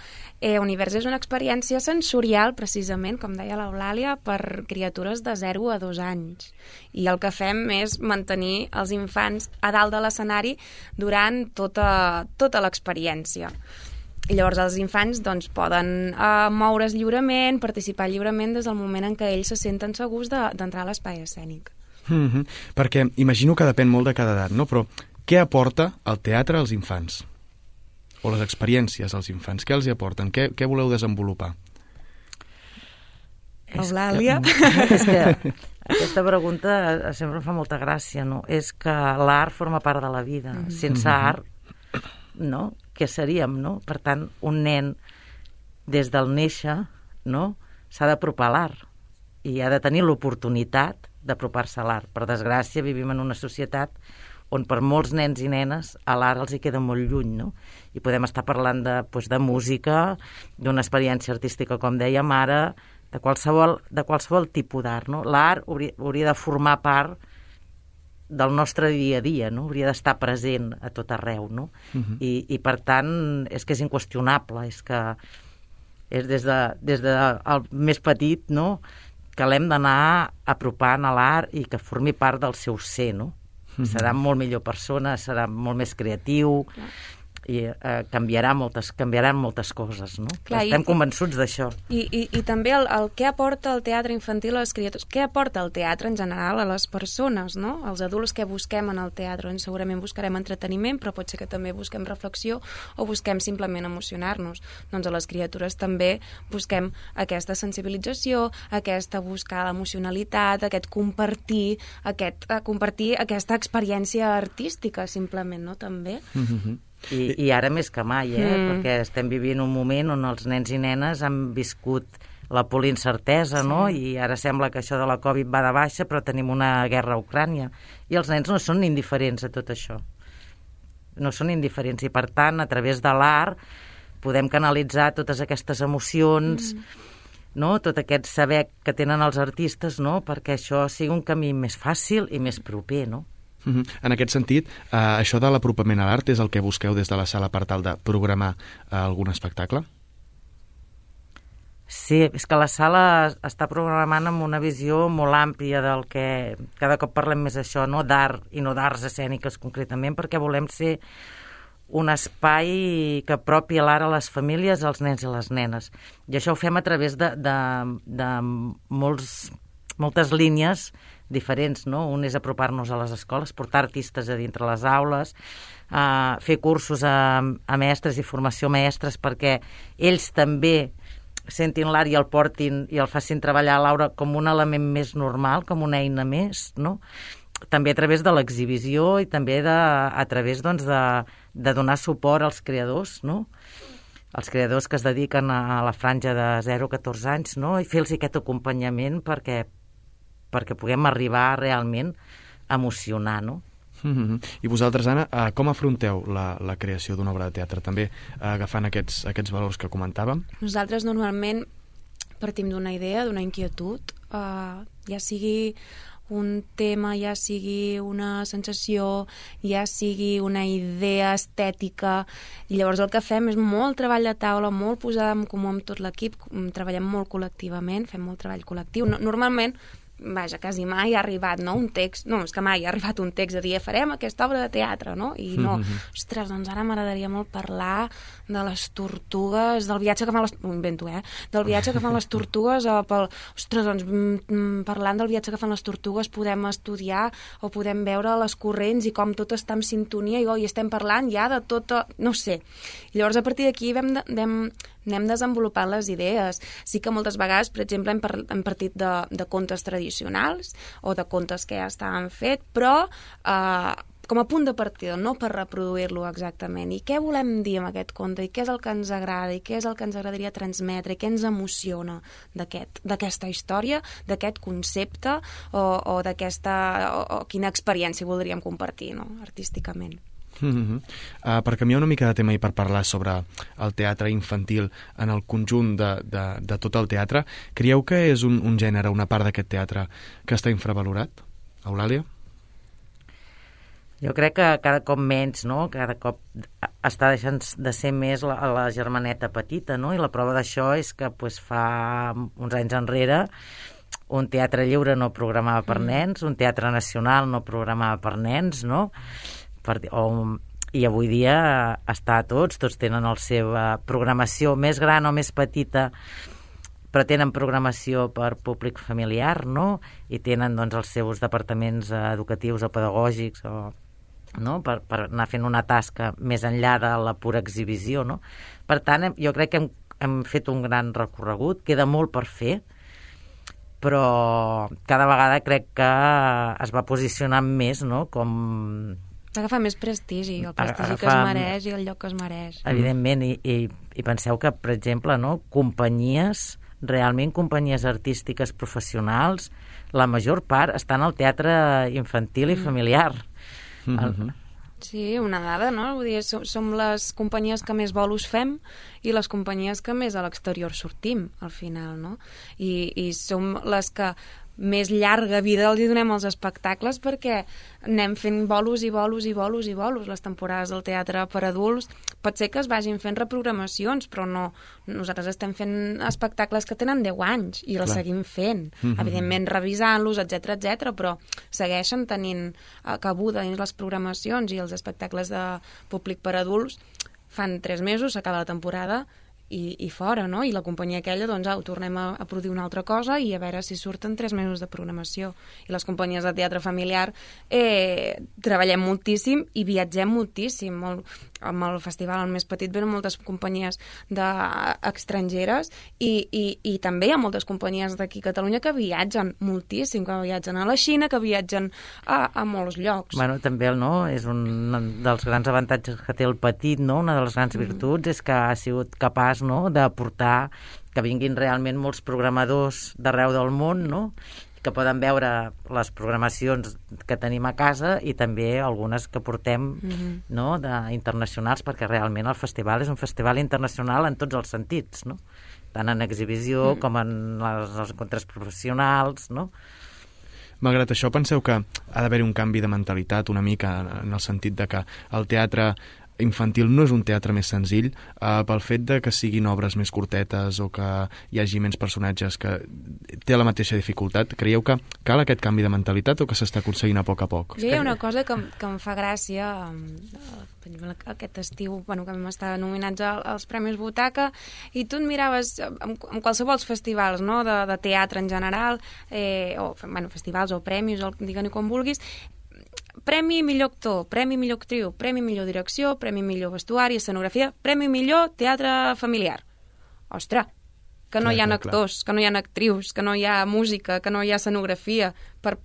Univers és una experiència sensorial, precisament, com deia l'Eulàlia, per criatures de 0 a 2 anys. I el que fem és mantenir els infants a dalt de l'escenari durant tota l'experiència. I llavors els infants doncs, poden moure's lliurement, participar lliurement des del moment en què ells se senten segurs d'entrar a l'espai escènic. Perquè imagino que depèn molt de cada edat, no? Però què aporta el teatre als infants? O les experiències als infants? Què els hi aporten? Què voleu desenvolupar? Eulàlia? És que aquesta pregunta sempre em fa molta gràcia, no? És que l'art forma part de la vida. Sense art, no? Què seríem, no? Per tant, un nen, des del néixer, no?, s'ha d'apropar a l'art i ha de tenir l'oportunitat d'apropar-se a l'art. Per desgràcia, vivim en una societat on per molts nens i nenes a l'art els hi queda molt lluny, no? I podem estar parlant de música, d'una experiència artística, com dèiem ara, de qualsevol tipus d'art, no? L'art hauria de formar part del nostre dia a dia, no? Hauria d'estar present a tot arreu, no? I per tant, és que és inqüestionable, és que és des del més petit, no?, que l'hem d'anar apropant a l'art i que formi part del seu ser, no? Serà molt millor persona, serà molt més creatiu i canviaran moltes coses, no? Clar, estem convençuts d'això. I també el què aporta el teatre infantil a les criatures, què aporta el teatre en general a les persones, no? Els adults que busquem en el teatre, doncs segurament buscarem entreteniment, però pot ser que també busquem reflexió o busquem simplement emocionar-nos. Doncs a les criatures també busquem aquesta sensibilització, buscar l'emocionalitat, aquest compartir aquesta experiència artística, simplement, no? També. I ara més que mai, perquè estem vivint un moment on els nens i nenes han viscut la polincertesa, no? I ara sembla que això de la Covid va de baixa, però tenim una guerra a Ucrània. I els nens no són indiferents a tot això. No són indiferents. I, per tant, a través de l'art podem canalitzar totes aquestes emocions, no? Tot aquest saber que tenen els artistes, no? Perquè això sigui un camí més fàcil i més proper, no? En aquest sentit, això de l'apropament a l'art és el que busqueu des de la sala per tal de programar algun espectacle? Sí, és que la sala està programant amb una visió molt àmplia del que cada cop parlem més això, no? D'art i no d'arts escèniques concretament, perquè volem ser un espai que apropi l'art a les famílies, als nens i les nenes. I això ho fem a través de moltes línies diferents, no? Un és apropar-nos a les escoles, portar artistes a dintre les aules, fer cursos a mestres i formació a mestres perquè ells també sentin l'art i el portin i el facin treballar a l'aula com un element més normal, com una eina més, no? També a través de l'exhibició i també a través doncs, de donar suport als creadors, no? Els creadors que es dediquen a la franja de 0 a 14 anys, no? I fer-los aquest acompanyament perquè puguem arribar realment a emocionar, no? I vosaltres, Anna, com afronteu la creació d'una obra de teatre? També agafant aquests valors que comentàvem? Nosaltres normalment partim d'una idea, d'una inquietud, ja sigui un tema, ja sigui una sensació, ja sigui una idea estètica, i llavors el que fem és molt treball de taula, molt posada en comú amb tot l'equip, treballem molt col·lectivament, fem molt treball col·lectiu. Normalment, vaja, quasi mai ha arribat, no?, un text, no, és que mai ha arribat un text de dir farem aquesta obra de teatre, no? I no, ostres, doncs ara m'agradaria molt parlar de les tortugues, del viatge que fan les... Ho invento, del viatge que fan les tortugues, ostres, doncs parlant del viatge que fan les tortugues podem estudiar o podem veure les corrents i com tot està en sintonia i estem parlant ja de tot, no sé. I llavors a partir d'aquí anem desenvolupant les idees. Sí que moltes vegades, per exemple, hem partit de contes tradicionals o de contes que ja estaven fets, però com a punt de partida, no per reproduir-lo exactament. I què volem dir amb aquest conte? I què és el que ens agrada? I què és el que ens agradaria transmetre? I què ens emociona d'aquesta història, d'aquest concepte o quina experiència voldríem compartir, no?, artísticament. Per canviar una mica de tema i per parlar sobre el teatre infantil en el conjunt de tot el teatre, creieu que és un gènere, una part d'aquest teatre que està infravalorat? Eulàlia? Jo crec que cada cop menys, no? Cada cop està deixant de ser més la germaneta petita, no? I la prova d'això és que fa uns anys enrere un teatre lliure no programava per nens, un teatre nacional no programava per nens, no? I avui dia està a tots tenen la seva programació més gran o més petita, però tenen programació per públic familiar, no? I tenen doncs, els seus departaments educatius o pedagògics no? Per anar fent una tasca més enllà de la pura exhibició, no? Per tant, jo crec que hem fet un gran recorregut, queda molt per fer, però cada vegada crec que es va posicionant més, no? Com... Agafa més prestigi, el prestigi que es mereix i el lloc que es mereix. Evidentment, i penseu que, per exemple, no, realment companyies artístiques professionals, la major part estan al teatre infantil i familiar. Sí, una dada, no? Vull dir, som les companyies que més bolos fem i les companyies que més a l'exterior sortim, al final, no? I som les que més llarga vida els hi donem als espectacles perquè anem fent bolos i bolos i bolos i bolos. Les temporades del teatre per adults pot ser que es vagin fent reprogramacions, però no, nosaltres estem fent espectacles que tenen 10 anys i els seguim fent, evidentment revisant-los, etc, però segueixen tenint cabuda dins les programacions, i els espectacles de públic per adults fan 3 mesos, s'acaba la temporada i fora, no? I la companyia aquella, doncs, ho tornem a produir una altra cosa i a veure si surten 3 mesos de programació. I les companyies de teatre familiar treballem moltíssim i viatgem moltíssim. Amb el festival, el més petit, venen moltes companyies estrangeres i també hi ha moltes companyies d'aquí a Catalunya que viatgen moltíssim, que viatgen a la Xina, que viatgen a molts llocs. Bueno, també, no? És un dels grans avantatges que té el petit, no? Una de les grans virtuts és que ha sigut capaç, no?, de portar que vinguin realment molts programadors d'arreu del món, no?, que poden veure les programacions que tenim a casa i també algunes que portem no, internacionals, perquè realment el festival és un festival internacional en tots els sentits, no? Tant en exhibició com en els encontres professionals, no? Malgrat això, penseu que ha d'haver un canvi de mentalitat una mica en el sentit de que el teatre infantil no és un teatre més senzill pel fet de que siguin obres més curtetes o que hi hagi menys personatges, que té la mateixa dificultat? Creieu que cal aquest canvi de mentalitat o que s'està aconseguint a poc? Jo hi ha una cosa que em fa gràcia, aquest estiu, bueno, que vam estar nominats als Premis Butaca, i tu et miraves en qualsevol festivals, no?, de teatre en general, o bueno, festivals o premis, digue-n'hi com vulguis, Premi millor actor, premi millor actriu, premi millor direcció, premi millor vestuari, escenografia, premi millor teatre familiar. Ostres, que no hi ha actors, que no hi ha actrius, que no hi ha música, que no hi ha escenografia. Per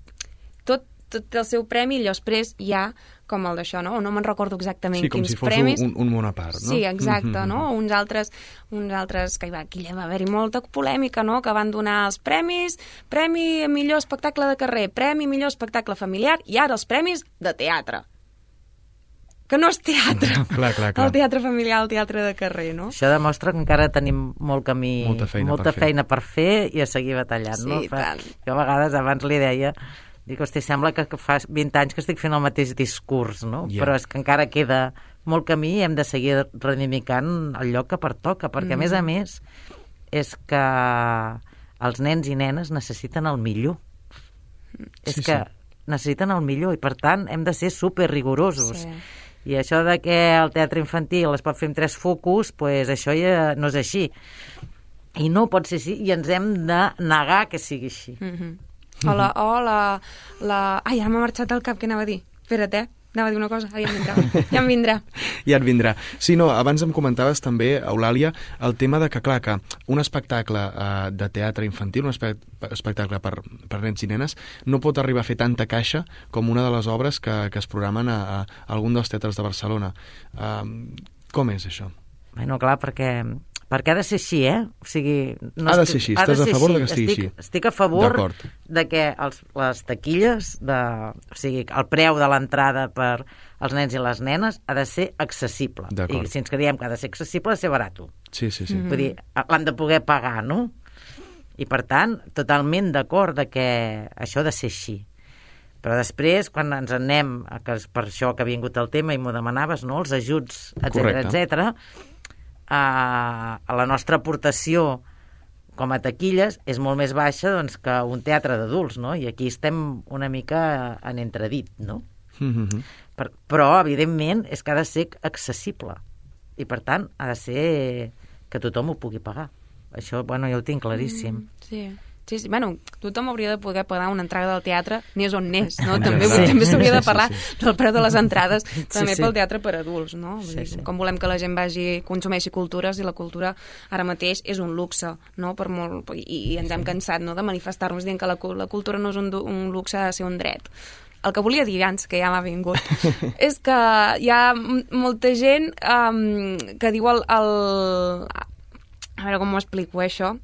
tot el seu premi, i després hi ha com el d'això, no? No me'n recordo exactament quins premis. Sí, com si fos un món a part, no? Sí, exacte, no? Uns altres que aquí va haver-hi molta polèmica, no?, que van donar els premis, premi millor espectacle de carrer, premi millor espectacle familiar, i ara els premis de teatre. Que no és teatre. Clar. El teatre familiar, el teatre de carrer, no? Això demostra que encara tenim molt camí, molta feina per fer i a seguir batallant, no? Jo a vegades abans li deia, dic, hosti, sembla que fa 20 anys que estic fent el mateix discurs, no? Però és que encara queda molt camí i hem de seguir reivindicant el lloc que pertoca, perquè a més és que els nens i nenes necessiten el millor. És que necessiten el millor i per tant hem de ser super rigorosos. I això de que el teatre infantil es pot fer amb 3 focus, pues això ja no és així. I no pot ser així i ens hem de negar que sigui així. Ai, ara m'ha marxat el cap, què anava a dir? Espera't, anava a dir una cosa, ara ja em vindrà. Ja et vindrà. Sí, no, abans em comentaves també, Eulàlia, el tema de que, clar, que un espectacle de teatre infantil, un espectacle per nens i nenes, no pot arribar a fer tanta caixa com una de les obres que es programen a algun dels teatres de Barcelona. Com és això? Bueno, clar, perquè ha de ser així, O sigui, ha de ser així, estàs a favor de que estigui així? Estic a favor de que les taquilles, o sigui, el preu de l'entrada per als nens i les nenes ha de ser accessible. I si ens creiem que ha de ser accessible, ha de ser barat. Sí. Vull dir, l'han de poder pagar, no? I per tant, totalment d'acord de que això ha de ser així. Però després, quan ens anem, que és per això que ha vingut el tema i m'ho demanaves, no?, els ajuts, etcètera, a la nostra aportació com a taquilles és molt més baixa doncs, que un teatre d'adults, no? I aquí estem una mica en entredit, no? Però, evidentment, és que ha de ser accessible i, per tant, ha de ser que tothom ho pugui pagar. Això, bueno, ja ho tinc claríssim. Sí. Bueno, tothom hauria de poder pagar una entrada del teatre, n'és on n'és, no? També s'hauria de parlar del preu de les entrades, també pel teatre per adults, no? Com volem que la gent consumeixi cultures, i la cultura ara mateix és un luxe, no? I ens hem cansat, no?, de manifestar-nos dient que la cultura no és un luxe, ha de ser un dret. El que volia dir abans, que ja m'ha vingut, és que hi ha molta gent que diu a veure com ho explico, això,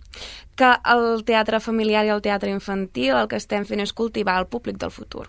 que el teatre familiar i el teatre infantil el que estem fent és cultivar el públic del futur.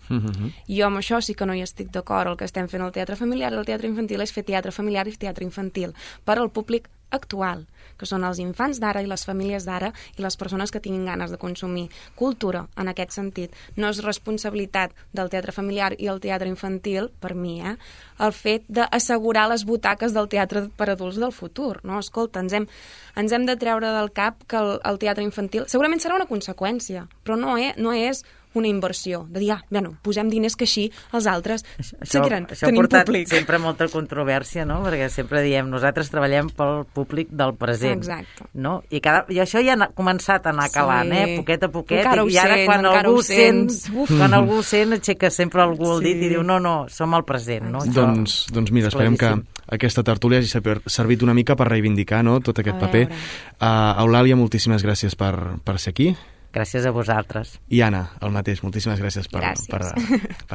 Jo amb això sí que no hi estic d'acord. El que estem fent al teatre familiar i al teatre infantil és fer teatre familiar i teatre infantil per al públic actual, que són els infants d'ara i les famílies d'ara i les persones que tinguin ganes de consumir cultura en aquest sentit. No és responsabilitat del teatre familiar i el teatre infantil, per mi, el fet d'assegurar les butaques del teatre per adults del futur. No? Escolta, ens hem de treure del cap que el teatre infantil segurament serà una conseqüència, però no és una inversió, de dir, bueno, posem diners que així els altres seguiran tenint públic. Sempre molta controvèrsia, no? Perquè sempre diem, nosaltres treballem pel públic del present. Exacte. No? I això ja ha començat a anar calant, poquet a poquet, i ara quan algú sent, aixeca sempre algú el dit i diu, no, som al present. No? Doncs mira, esperem que aquesta tertúlia hagi servit una mica per reivindicar, no?, tot aquest paper. Eulàlia, moltíssimes gràcies per ser aquí. Gràcies a vosaltres. I Anna, el mateix, moltíssimes gràcies per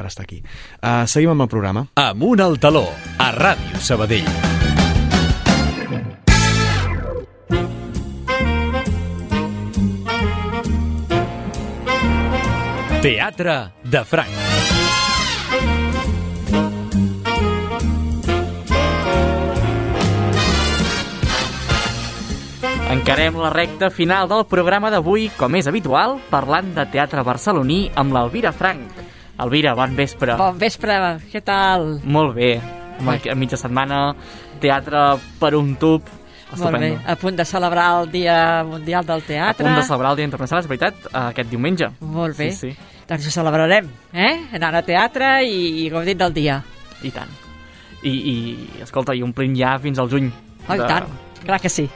estar aquí. Seguim amb el programa. Amunt al taló, a Ràdio Sabadell. Teatre de Franc. Encarem la recta final del programa d'avui, com és habitual, parlant de teatre barceloní amb l'Elvira Franc. Elvira, bon vespre. Bon vespre, què tal? Molt bé. A mitja setmana, teatre per un tub. Estupendo. Molt bé, a punt de celebrar el Dia Mundial del Teatre. A punt de celebrar el Dia Internacional, és veritat, aquest diumenge. Molt bé, sí. Doncs ho celebrarem, anant a teatre i gaudint del dia. I tant. I escolta, i omplint ja fins al juny. Oh, i tant, clar que sí.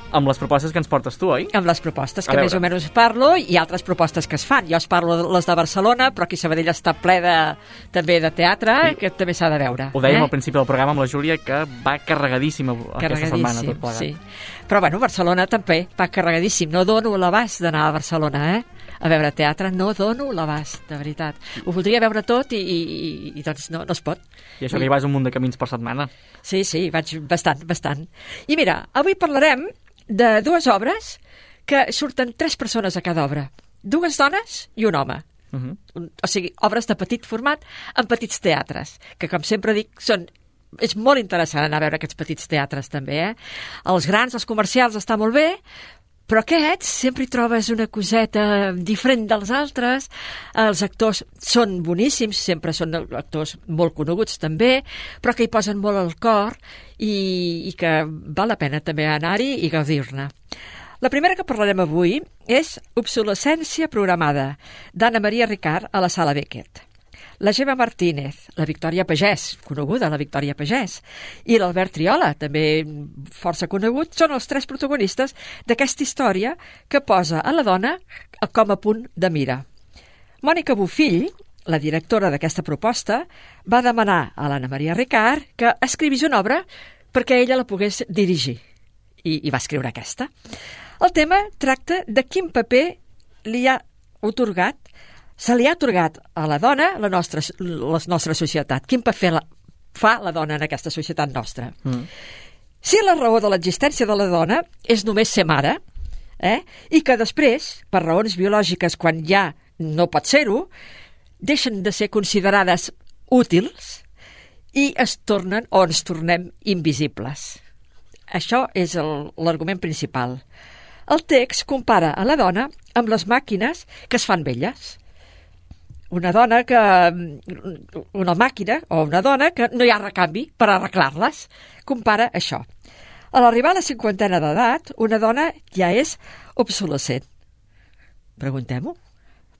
Amb les propostes que ens portes tu, oi? Amb les propostes que més o menys parlo i altres propostes que es fan. Jo es parlo de les de Barcelona, però aquí Sabadell està ple també de teatre, que també s'ha de veure. Ho dèiem al principi del programa amb la Júlia, que va carregadíssima aquesta setmana tot plegat. Sí. Però bueno, Barcelona també va carregadíssim. No dono l'abast d'anar a Barcelona, a veure teatre, no dono l'abast, de veritat. Ho voldria veure tot i doncs no es pot. I això que hi vas un munt de camins per setmana. Sí, vaig bastant. I mira, avui parlarem de dues obres que surten 3 persones a cada obra. 2 dones i un home. O sigui, obres de petit format en petits teatres, que com sempre dic, és molt interessant anar a veure aquests petits teatres també, Els grans, els comercials, està molt bé, però aquests sempre hi trobes una coseta diferent dels altres. Els actors són boníssims, sempre són actors molt coneguts també, però que hi posen molt el cor i que val la pena també anar-hi i gaudir-ne. La primera que parlarem avui és Obsolescència programada, d'Anna Maria Ricard a la Sala Beckett. La Gemma Martínez, la Victòria Pagès, coneguda la Victòria Pagès, i l'Albert Triola, també força conegut, són els 3 protagonistes d'aquesta història que posa a la dona com a punt de mira. Mònica Bofill, la directora d'aquesta proposta, va demanar a l'Anna Maria Ricard que escrivís una obra perquè ella la pogués dirigir, i va escriure aquesta. El tema tracta de quin paper se li ha atorgat a la dona la nostra societat. Quin paper fa la dona en aquesta societat nostra? Si la raó de l'existència de la dona és només ser mare, i que després, per raons biològiques, quan ja no pot ser-ho, deixen de ser considerades útils i ens tornem invisibles. Això és l'argument principal. El text compara a la dona amb les màquines que es fan velles. Una màquina o una dona que no hi ha recanvi per arreglar-les. Compara això. A l'arribar a la 50ena d'edat, una dona ja és obsolescent. Preguntem-ho.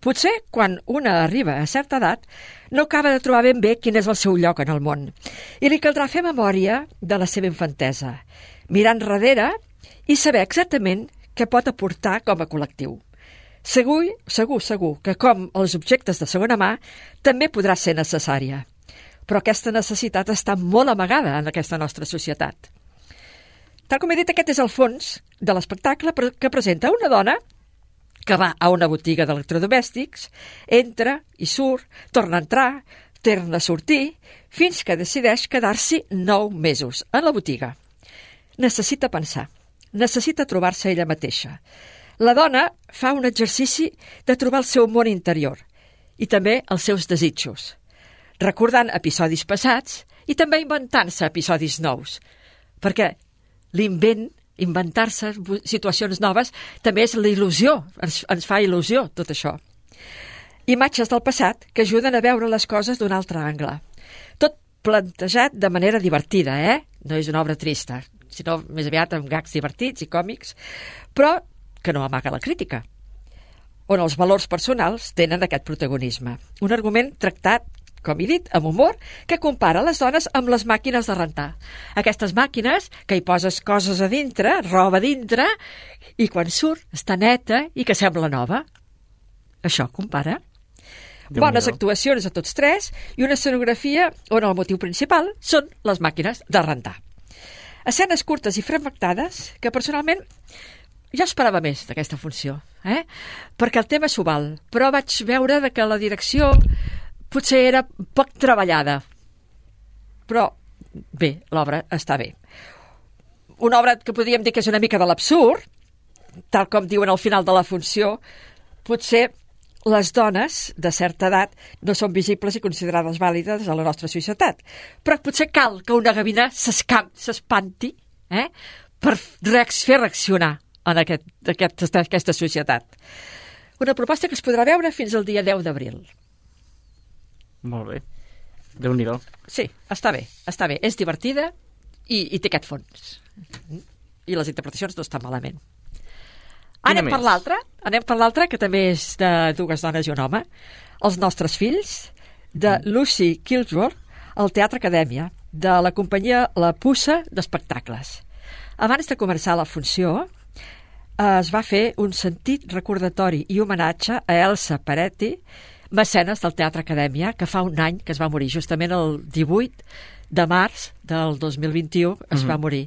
Potser quan una arriba a certa edat no acaba de trobar ben bé quin és el seu lloc en el món i li caldrà fer memòria de la seva infantesa, mirar enrere i saber exactament què pot aportar com a col·lectiu. Segur que, com els objectes de segona mà, també podrà ser necessària. Però aquesta necessitat està molt amagada en aquesta nostra societat. Tal com he dit, aquest és el fons de l'espectacle que presenta una dona que va a una botiga d'electrodomèstics, entra i surt, torna a entrar, torna a sortir, fins que decideix quedar-s'hi 9 mesos en la botiga. Necessita pensar, necessita trobar-se ella mateixa. La dona fa un exercici de trobar el seu món interior i també els seus desitjos, recordant episodis passats i també inventant-se episodis nous, perquè inventar-se situacions noves també és la il·lusió, ens fa il·lusió tot això. Imatges del passat que ajuden a veure les coses d'un altre angle. Tot plantejat de manera divertida, No és una obra trista, sinó més aviat amb gags divertits i còmics, però que no amaga la crítica, on els valors personals tenen aquest protagonisme. Un argument tractat, com he dit, amb humor, que compara les dones amb les màquines de rentar. Aquestes màquines que hi poses coses a dintre, roba a dintre, i quan surt està neta i que sembla nova. Això compara. Bones actuacions a tots 3 i una escenografia on el motiu principal són les màquines de rentar. Escenes curtes i fragmentades que personalment jo esperava més d'aquesta funció, perquè el tema s'ho val, però vaig veure que la direcció potser era poc treballada. Però bé, l'obra està bé. Una obra que podríem dir que és una mica de l'absurd, tal com diuen al final de la funció, potser les dones de certa edat no són visibles i considerades vàlides a la nostra societat. Però potser cal que una gavina s'espanti per fer reaccionar en aquesta societat. Una proposta que es podrà veure fins al dia 10 d'abril. Molt bé. Déu-n'hi-do. Sí, està bé. És divertida i té aquest fons. I les interpretacions no estan malament. Anem per l'altra, que també és de dues dones i un home. Els nostres fills, de Lucy Kilsworth, al Teatre Acadèmia, de la companyia La Puça d'Espectacles. Abans de començar la funció, es va fer un sentit recordatori i homenatge a Elsa Peretti, mecenes del Teatre Acadèmia, que fa un any que es va morir, justament el 18 de març del 2021 es va morir.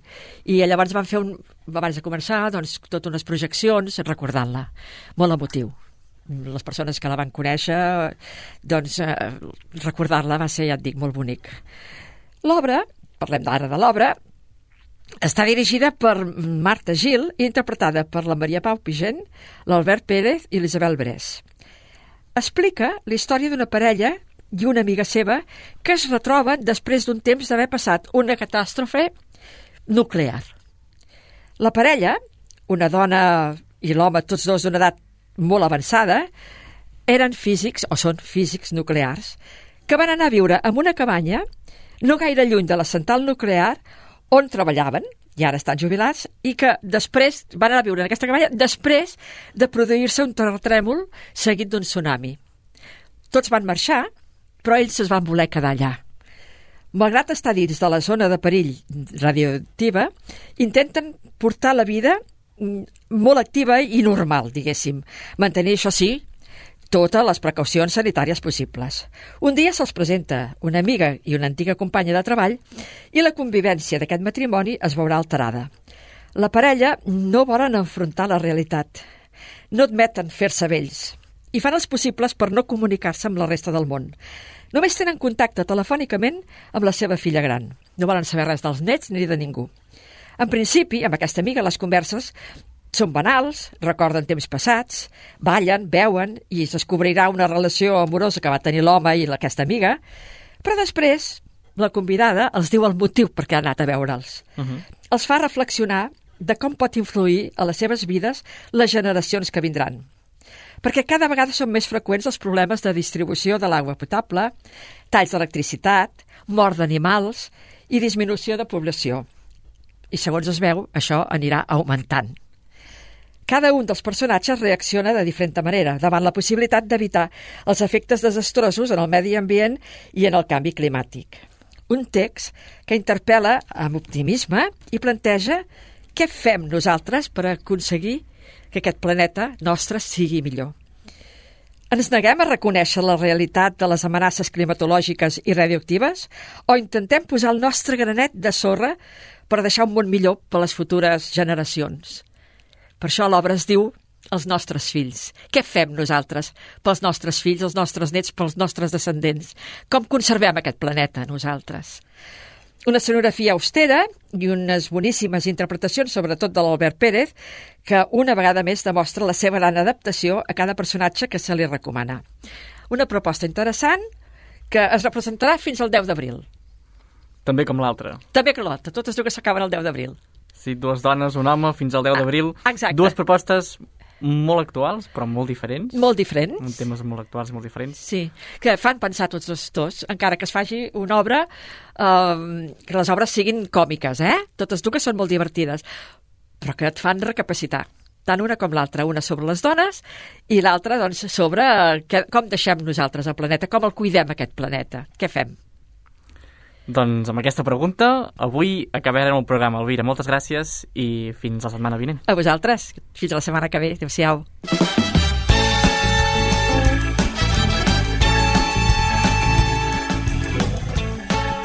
I llavors van fer, abans de començar, doncs, totes unes projeccions recordant-la. Molt emotiu. Les persones que la van conèixer, doncs, recordar-la va ser, ja et dic, molt bonic. L'obra, parlem ara de l'obra, està dirigida per Marta Gil i interpretada per la Maria Pau Pigent, l'Albert Pérez i l'Isabel Brés. Explica la història d'una parella i una amiga seva que es retroben després d'un temps d'haver passat una catàstrofe nuclear. La parella, una dona i l'home, tots dos d'una edat molt avançada, eren físics, o són físics nuclears, que van anar a viure en una cabanya no gaire lluny de la central nuclear on treballaven, i ara estan jubilats, i que després van anar a viure en aquesta cabanya després de produir-se un terratrèmol seguit d'un tsunami. Tots van marxar, però ells es van voler quedar allà. Malgrat estar dins de la zona de perill radioactiva, intenten portar la vida molt activa i normal, diguéssim. Mantenir, això sí, totes les precaucions sanitàries possibles. Un dia se'ls presenta una amiga i una antiga companya de treball i la convivència d'aquest matrimoni es veurà alterada. La parella no volen enfrontar la realitat, no admeten fer-se vells i fan els possibles per no comunicar-se amb la resta del món. Només tenen contacte telefònicament amb la seva filla gran. No volen saber res dels nets ni de ningú. En principi, amb aquesta amiga, les converses són banals, recorden temps passats, ballen, beuen i es descobrirà una relació amorosa que va tenir l'home i aquesta amiga, però després la convidada els diu el motiu per què ha anat a veure'ls. Els fa reflexionar de com pot influir a les seves vides les generacions que vindran. Perquè cada vegada són més freqüents els problemes de distribució de l'aigua potable, talls d'electricitat, mort d'animals i disminució de població. I segons es veu, això anirà augmentant. Cada un dels personatges reacciona de diferent manera davant la possibilitat d'evitar els efectes desastrosos en el medi ambient i en el canvi climàtic. Un text que interpel·la amb optimisme i planteja què fem nosaltres per aconseguir que aquest planeta nostre sigui millor. Ens neguem a reconèixer la realitat de les amenaces climatològiques i radioactives o intentem posar el nostre granet de sorra per deixar un món millor per a les futures generacions? Per això l'obra es diu Els nostres fills. Què fem nosaltres pels nostres fills, els nostres nets, pels nostres descendents? Com conservem aquest planeta nosaltres? Una escenografia austera i unes boníssimes interpretacions, sobretot de l'Albert Pérez, que una vegada més demostra la seva gran adaptació a cada personatge que se li recomana. Una proposta interessant que es representarà fins al 10 d'abril. També com l'altra. També com l'altra, totes dues s'acaben el 10 d'abril. Sí, dues dones, un home, fins al 10 d'abril. Exacte. Dues propostes molt actuals, però molt diferents. Molt diferents. Amb temes molt actuals i molt diferents. Sí, que fan pensar tots dos, encara que es faci una obra, que les obres siguin còmiques, Totes dues són molt divertides, però que et fan recapacitar. Tant una com l'altra, una sobre les dones i l'altra doncs, sobre com deixem nosaltres el planeta, com el cuidem aquest planeta, què fem. Doncs amb aquesta pregunta, avui acabarem el programa. Elvira, moltes gràcies i fins la setmana vinent. A vosaltres. Fins la setmana que ve. Adéu-siau.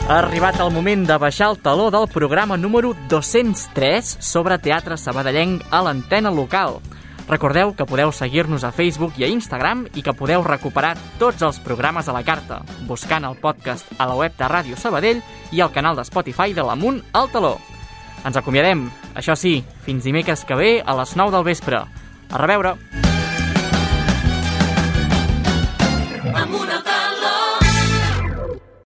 Ha arribat el moment de baixar el taló del programa número 203 sobre teatre sabadellenc a l'antena local. Recordeu que podeu seguir-nos a Facebook i a Instagram i que podeu recuperar tots els programes a la carta, buscant el podcast a la web de Ràdio Sabadell i al canal de Spotify de l'Amunt al Taló. Ens acomiadem, això sí, fins dimecres que ve a les 9 del vespre. A reveure!